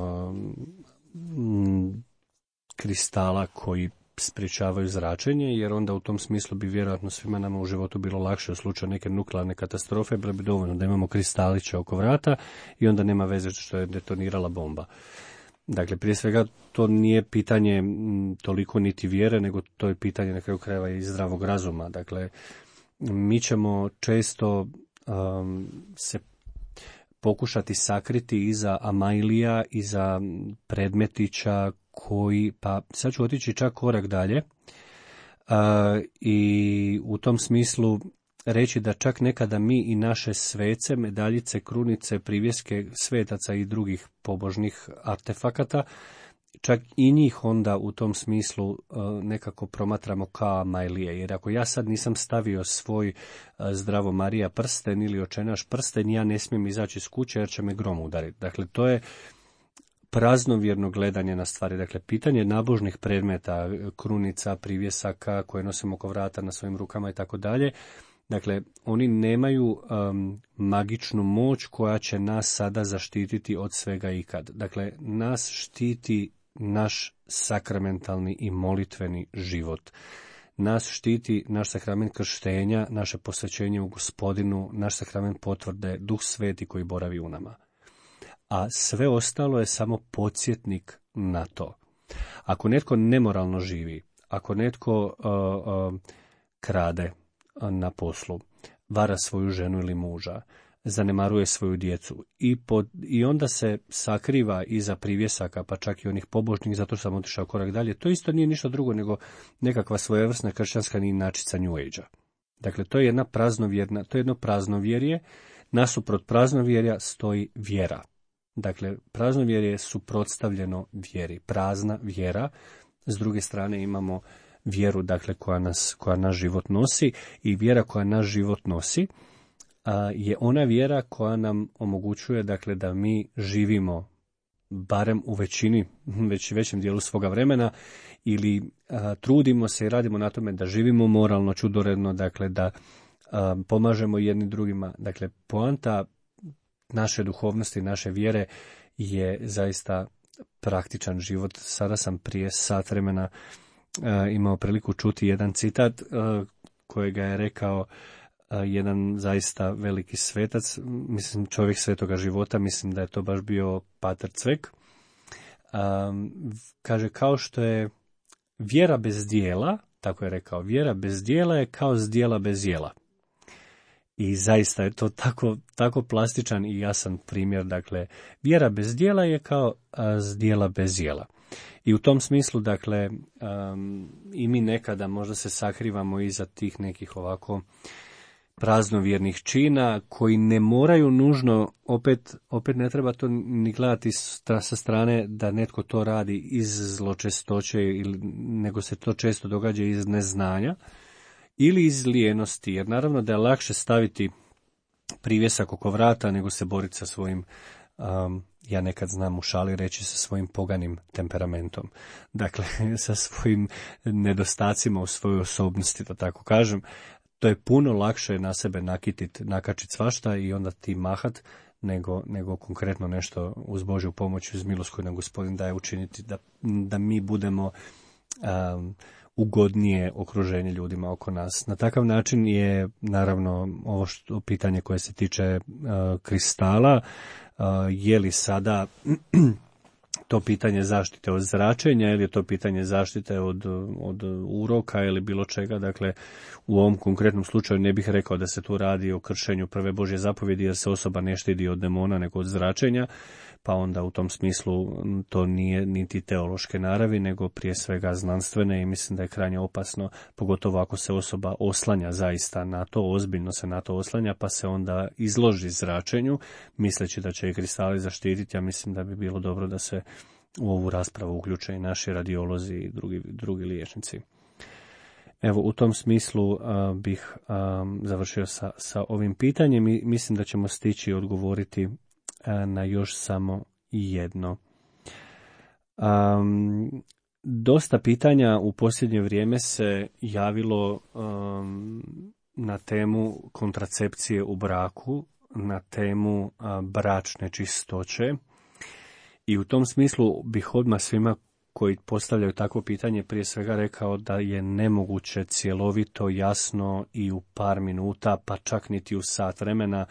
kristala koji sprječavaju zračenje, jer onda u tom smislu bi vjerojatno svima nama u životu bilo lakše u slučaju neke nuklearne katastrofe, bilo bi dovoljno da imamo kristaliće oko vrata i onda nema veze što je detonirala bomba. Dakle, prije svega to nije pitanje toliko niti vjere, nego to je pitanje na kraju krajeva i zdravog razuma. Dakle, mi ćemo često um, se pokušati sakriti iza amajlija, iza predmetića koji, pa sad ću otići čak korak dalje, A, i u tom smislu reći da čak nekada mi i naše svece, medaljice, krunice, privjeske svetaca i drugih pobožnih artefakata, čak i njih onda u tom smislu uh, nekako promatramo kao amajlije. Jer ako ja sad nisam stavio svoj uh, Zdravo Marija prsten ili Očenaš prsten, ja ne smijem izaći iz kuće jer će me grom udariti. Dakle, to je praznovjerno gledanje na stvari. Dakle, pitanje nabožnih predmeta, krunica, privjesaka koje nosimo oko vrata na svojim rukama i tako dalje. Dakle, oni nemaju um, magičnu moć koja će nas sada zaštititi od svega ikad. Dakle, nas štiti naš sakramentalni i molitveni život. Nas štiti naš sakrament krštenja, naše posvećenje u Gospodinu, naš sakrament potvrde, Duh Sveti koji boravi u nama. A sve ostalo je samo podsjetnik na to. Ako netko nemoralno živi, ako netko uh, uh, krade na poslu, vara svoju ženu ili muža, zanemaruje svoju djecu i, pod, i onda se sakriva iza privjesaka, pa čak i onih pobožnih, zato što sam otišao korak dalje, to isto nije ništa drugo nego nekakva svojevrsna kršćanska inačica New Age-a. Dakle, to je jedna praznovjerna, to je jedno praznovjerje, nasuprot praznovjerja stoji vjera. Dakle, praznovjerje je suprotstavljeno vjeri, prazna vjera, s druge strane imamo vjeru, dakle, koja nas, koja naš život nosi, i vjera koja naš život nosi a, je ona vjera koja nam omogućuje, dakle, da mi živimo barem u većini, već većem dijelu svoga vremena, ili a, trudimo se i radimo na tome da živimo moralno, čudoredno, dakle, da a, pomažemo jedni drugima. Dakle, poanta naše duhovnosti, naše vjere je zaista praktičan život. Sada sam prije sat vremena Uh, imao priliku čuti jedan citat uh, kojega je rekao uh, jedan zaista veliki svetac, mislim čovjek svetoga života, mislim da je to baš bio Pater Cvek. Um, kaže, kao što je vjera bez dijela, tako je rekao, vjera bez dijela je kao zdjela bez jela. I zaista je to tako, tako plastičan i jasan primjer. Dakle, vjera bez dijela je kao zdjela bez jela. I u tom smislu, dakle, um, i mi nekada možda se sakrivamo iza tih nekih ovako praznovjernih čina koji ne moraju nužno, opet, opet ne treba to ni gledati sa strane da netko to radi iz zločestoće, ili, nego se to često događa iz neznanja ili iz lijenosti, jer naravno da je lakše staviti privjesak oko vrata nego se boriti sa svojim, um, ja nekad znam u šali reći, sa svojim poganim temperamentom. Dakle, sa svojim nedostacima u svojoj osobnosti, da tako kažem. To je puno lakše na sebe nakititi, nakačiti svašta i onda ti mahat, nego, nego konkretno nešto uz Božju pomoć, uz milost koju nam Gospodin daje učiniti, da, da mi budemo um, ugodnije okruženje ljudima oko nas. Na takav način je, naravno, ovo što, pitanje koje se tiče uh, kristala, uh, je li sada to pitanje zaštite od zračenja ili je to pitanje zaštite od, od uroka ili bilo čega. Dakle, u ovom konkretnom slučaju ne bih rekao da se tu radi o kršenju prve Božje zapovjedi, jer se osoba ne štiti od demona nego od zračenja, pa onda u tom smislu to nije niti teološke naravi, nego prije svega znanstvene, i mislim da je krajnje opasno, pogotovo ako se osoba oslanja zaista na to, ozbiljno se na to oslanja, pa se onda izloži zračenju, misleći da će i kristali zaštititi. Ja mislim da bi bilo dobro da se u ovu raspravu uključe i naši radiolozi i drugi, drugi liječnici. Evo, u tom smislu uh, bih um, završio sa, sa ovim pitanjem i mislim da ćemo stići odgovoriti uh, na još samo jedno. Um, dosta pitanja u posljednje vrijeme se javilo um, na temu kontracepcije u braku, na temu uh, bračne čistoće, i u tom smislu bih odmah svima koji postavljaju takvo pitanje prije svega rekao da je nemoguće cjelovito, jasno i u par minuta, pa čak niti u sat vremena,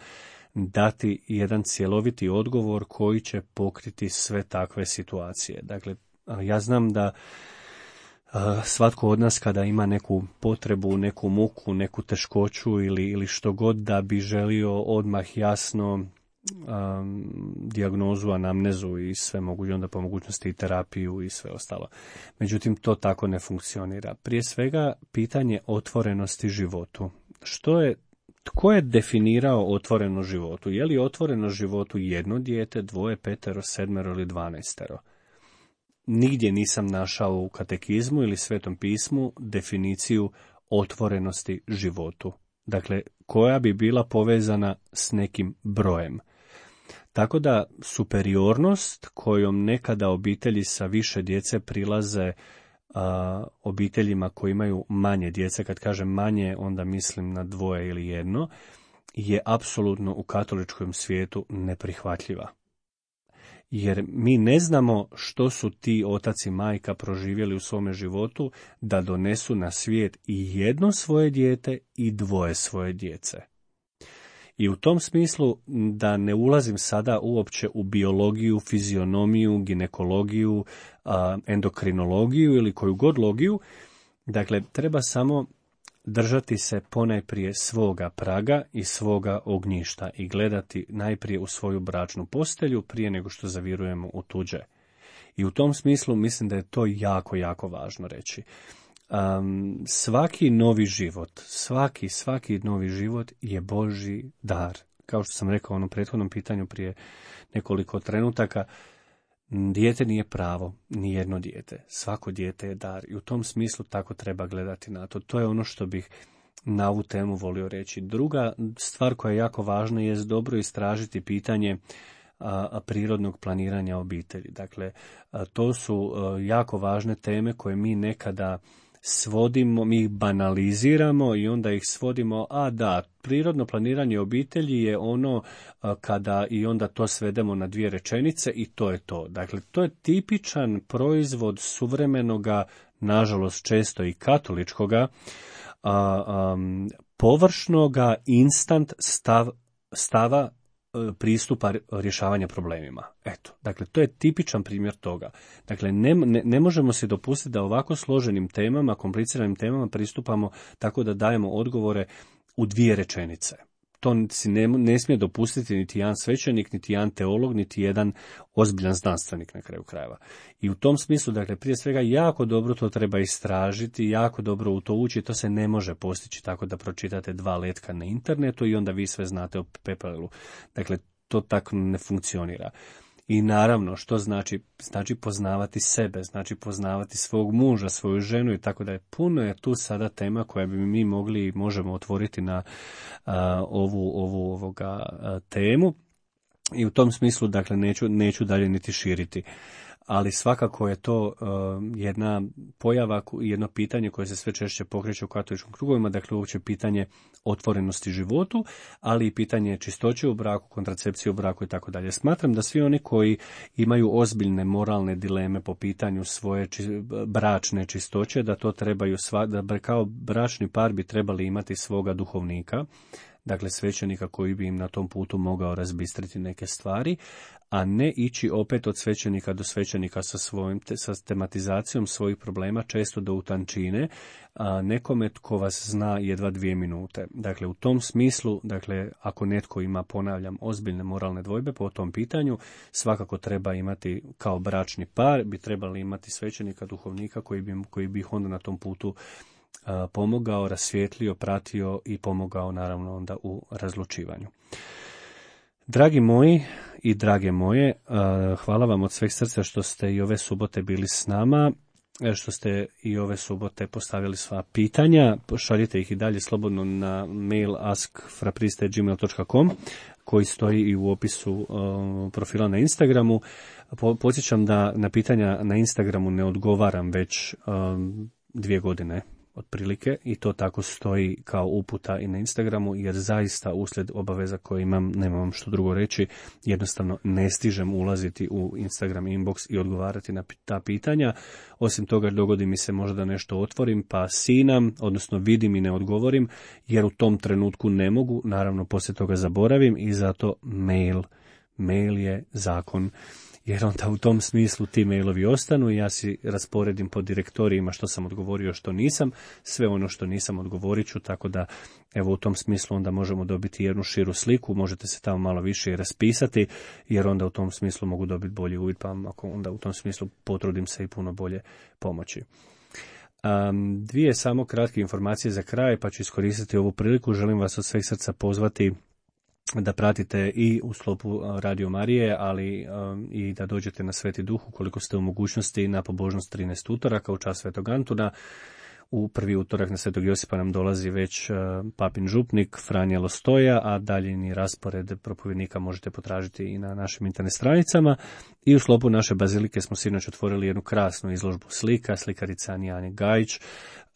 dati jedan cjeloviti odgovor koji će pokriti sve takve situacije. Dakle, ja znam da svatko od nas kada ima neku potrebu, neku muku, neku teškoću ili, ili što god, da bi želio odmah jasno um, dijagnozu, anamnezu i sve moguće, onda po mogućnosti i terapiju i sve ostalo. Međutim, to tako ne funkcionira. Prije svega, pitanje otvorenosti životu. Što je, tko je definirao otvoreno životu? Je li otvoreno životu jedno dijete, dvoje, petero, sedmero ili dvanaestero? Nigdje nisam našao u katekizmu ili Svetom pismu definiciju otvorenosti životu. Dakle, koja bi bila povezana s nekim brojem. Tako da superiornost kojom nekada obitelji sa više djece prilaze a, obiteljima koji imaju manje djece, kad kažem manje, onda mislim na dvoje ili jedno, je apsolutno u katoličkom svijetu neprihvatljiva. Jer mi ne znamo što su ti otac i majka proživjeli u svome životu da donesu na svijet i jedno svoje dijete i dvoje svoje djece. I u tom smislu, da ne ulazim sada uopće u biologiju, fizionomiju, ginekologiju, endokrinologiju ili koju god logiju, dakle, treba samo držati se ponajprije svoga praga i svoga ognjišta i gledati najprije u svoju bračnu postelju prije nego što zavirujemo u tuđe. I u tom smislu mislim da je to jako, jako važno reći. Um, svaki novi život, svaki, svaki novi život je Božji dar. Kao što sam rekao u onom prethodnom pitanju prije nekoliko trenutaka, dijete nije pravo, ni jedno dijete. Svako dijete je dar i u tom smislu tako treba gledati na to. To je ono što bih na ovu temu volio reći. Druga stvar koja je jako važna je dobro istražiti pitanje a, a prirodnog planiranja obitelji. Dakle, a, to su a, jako važne teme koje mi nekada svodimo, mi ih banaliziramo i onda ih svodimo, a da, prirodno planiranje obitelji je ono a, kada i onda to svedemo na dvije rečenice i to je to. Dakle, to je tipičan proizvod suvremenoga, nažalost često i katoličkoga, a, a, površnoga instant stav, stava pristupa rješavanja problemima. Eto, dakle, to je tipičan primjer toga. Dakle, ne, ne, ne možemo se dopustiti da ovako složenim temama, kompliciranim temama pristupamo tako da dajemo odgovore u dvije rečenice. To si ne, ne smije dopustiti niti jedan svećenik, niti jedan teolog, niti jedan ozbiljan znanstvenik na kraju krajeva. I u tom smislu, dakle, prije svega jako dobro to treba istražiti, jako dobro u to ući, to se ne može postići tako da pročitate dva letka na internetu i onda vi sve znate o pepelu. Dakle, to tako ne funkcionira. I naravno, što znači? Znači poznavati sebe, znači poznavati svog muža, svoju ženu i tako da je puno je tu sada tema koja bi mi mogli i možemo otvoriti na a, ovu, ovu ovoga a, temu. I u tom smislu, dakle, neću, neću dalje niti širiti. Ali svakako je to uh, jedna pojava, jedno pitanje koje se sve češće pokreće u katoličkim krugovima, dakle uopće pitanje otvorenosti životu, ali i pitanje čistoće u braku, kontracepcije u braku i tako dalje. Smatram da svi oni koji imaju ozbiljne moralne dileme po pitanju svoje či, bračne čistoće, da to trebaju, sva, da kao bračni par bi trebali imati svoga duhovnika, dakle svećenika koji bi im na tom putu mogao razbistriti neke stvari, a ne ići opet od svećenika do svećenika sa svojim te, sa tematizacijom svojih problema, često do utančine, a nekome tko vas zna jedva dvije minute. Dakle, u tom smislu, dakle, ako netko ima, ponavljam, ozbiljne moralne dvojbe po tom pitanju, svakako treba imati kao bračni par, bi trebali imati svećenika, duhovnika koji bi, koji bi ih onda na tom putu pomogao, rasvijetlio, pratio i pomogao naravno onda u razlučivanju. Dragi moji i drage moje, hvala vam od sveg srca što ste i ove subote bili s nama, što ste i ove subote postavili sva pitanja. Šaljite ih i dalje slobodno na mail ask frapriste at gmail dot com koji stoji i u opisu profila na Instagramu. Podsjećam da na pitanja na Instagramu ne odgovaram već dvije godine otprilike i to tako stoji kao uputa i na Instagramu, jer zaista uslijed obaveza koje imam, nemam što drugo reći, jednostavno ne stižem ulaziti u Instagram inbox i odgovarati na ta pitanja. Osim toga, dogodi mi se možda nešto otvorim pa sinam, odnosno vidim i ne odgovorim, jer u tom trenutku ne mogu, naravno poslije toga zaboravim i zato mail, mail je zakon. jer onda u tom smislu ti mailovi ostanu i ja si rasporedim po direktorijima što sam odgovorio, što nisam, sve ono što nisam odgovorit ću, tako da evo u tom smislu onda možemo dobiti jednu širu sliku, možete se tamo malo više i raspisati, jer onda u tom smislu mogu dobiti bolji uvid, pa ako onda u tom smislu potrudim se i puno bolje pomoći. Um, dvije samo kratke informacije za kraj, pa ću iskoristiti ovu priliku. Želim vas od sveg srca pozvati da pratite i u sklopu Radio Marije, ali um, i da dođete na Sveti Duh ukoliko ste u mogućnosti na pobožnost trinaest utoraka u čast Svetog Antuna. U prvi utorak na Svetog Josipa nam dolazi već uh, papin župnik Franja Lostoja, a daljini raspored propovjednika možete potražiti i na našim internet stranicama. I u sklopu naše bazilike smo sinoć otvorili jednu krasnu izložbu slika, slikarica Anijani Gajić.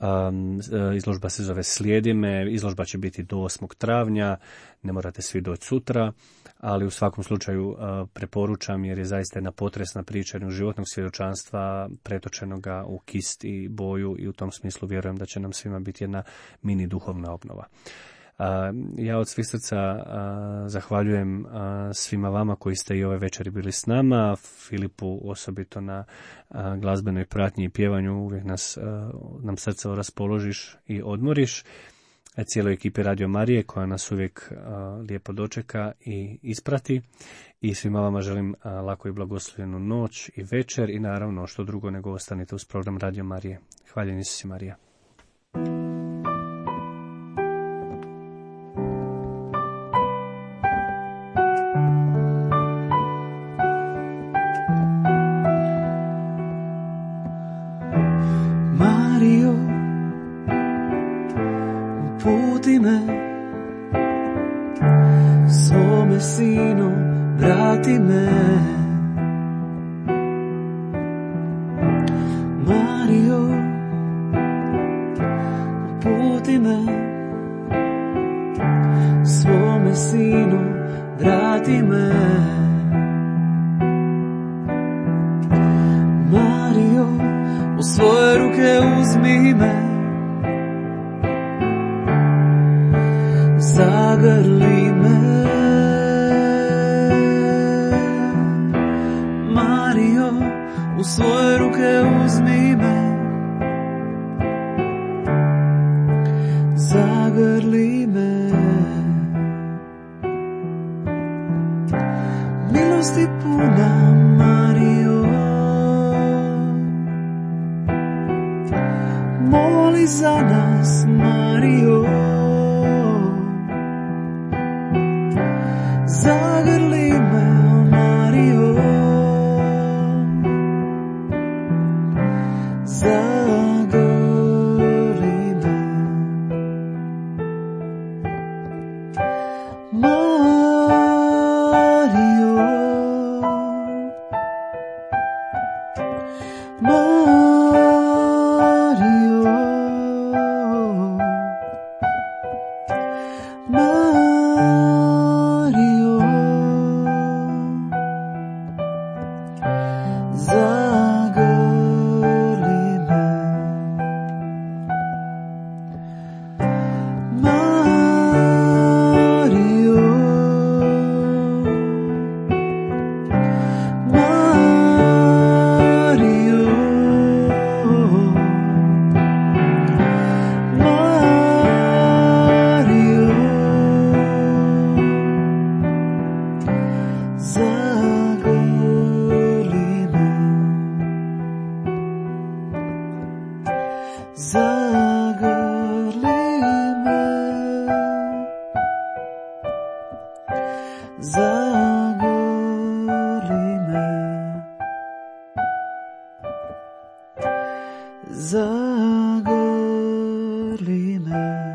Um, izložba se zove Slijedi me, izložba će biti do osmog travnja, ne morate svi doći sutra, ali u svakom slučaju uh, preporučam jer je zaista jedna potresna priča jednog životnog svjedočanstva pretočenoga u kist i boju i u tom smislu vjerujem da će nam svima biti jedna mini duhovna obnova. Uh, ja od svih srca uh, zahvaljujem uh, svima vama koji ste i ove večeri bili s nama, Filipu osobito na uh, glazbenoj pratnji i pjevanju, uvijek nas, uh, nam srce raspoložiš i odmoriš, a cijeloj ekipi Radio Marije koja nas uvijek uh, lijepo dočeka i isprati i svima vama želim uh, lako i blagoslovljenu noć i večer i naravno što drugo nego ostanite uz program Radio Marije. Hvaljen Isus i Marija. Uputi me, svome sinu, vrati me. Mario, uputi me, svome sinu, vrati me. Mario, u svoje ruke uzmi me, zagrli me. Mario, u svoje ruke uzmi me, zagrli me. Milosti puna Mario, moli za nas Mario, zagrli me, oh Mario, zagrli me. Mario, Mario, Mario, zagrli me. Mario, Mario, Mario, zagrli me, zagrli me, zagrli me, zagrli me.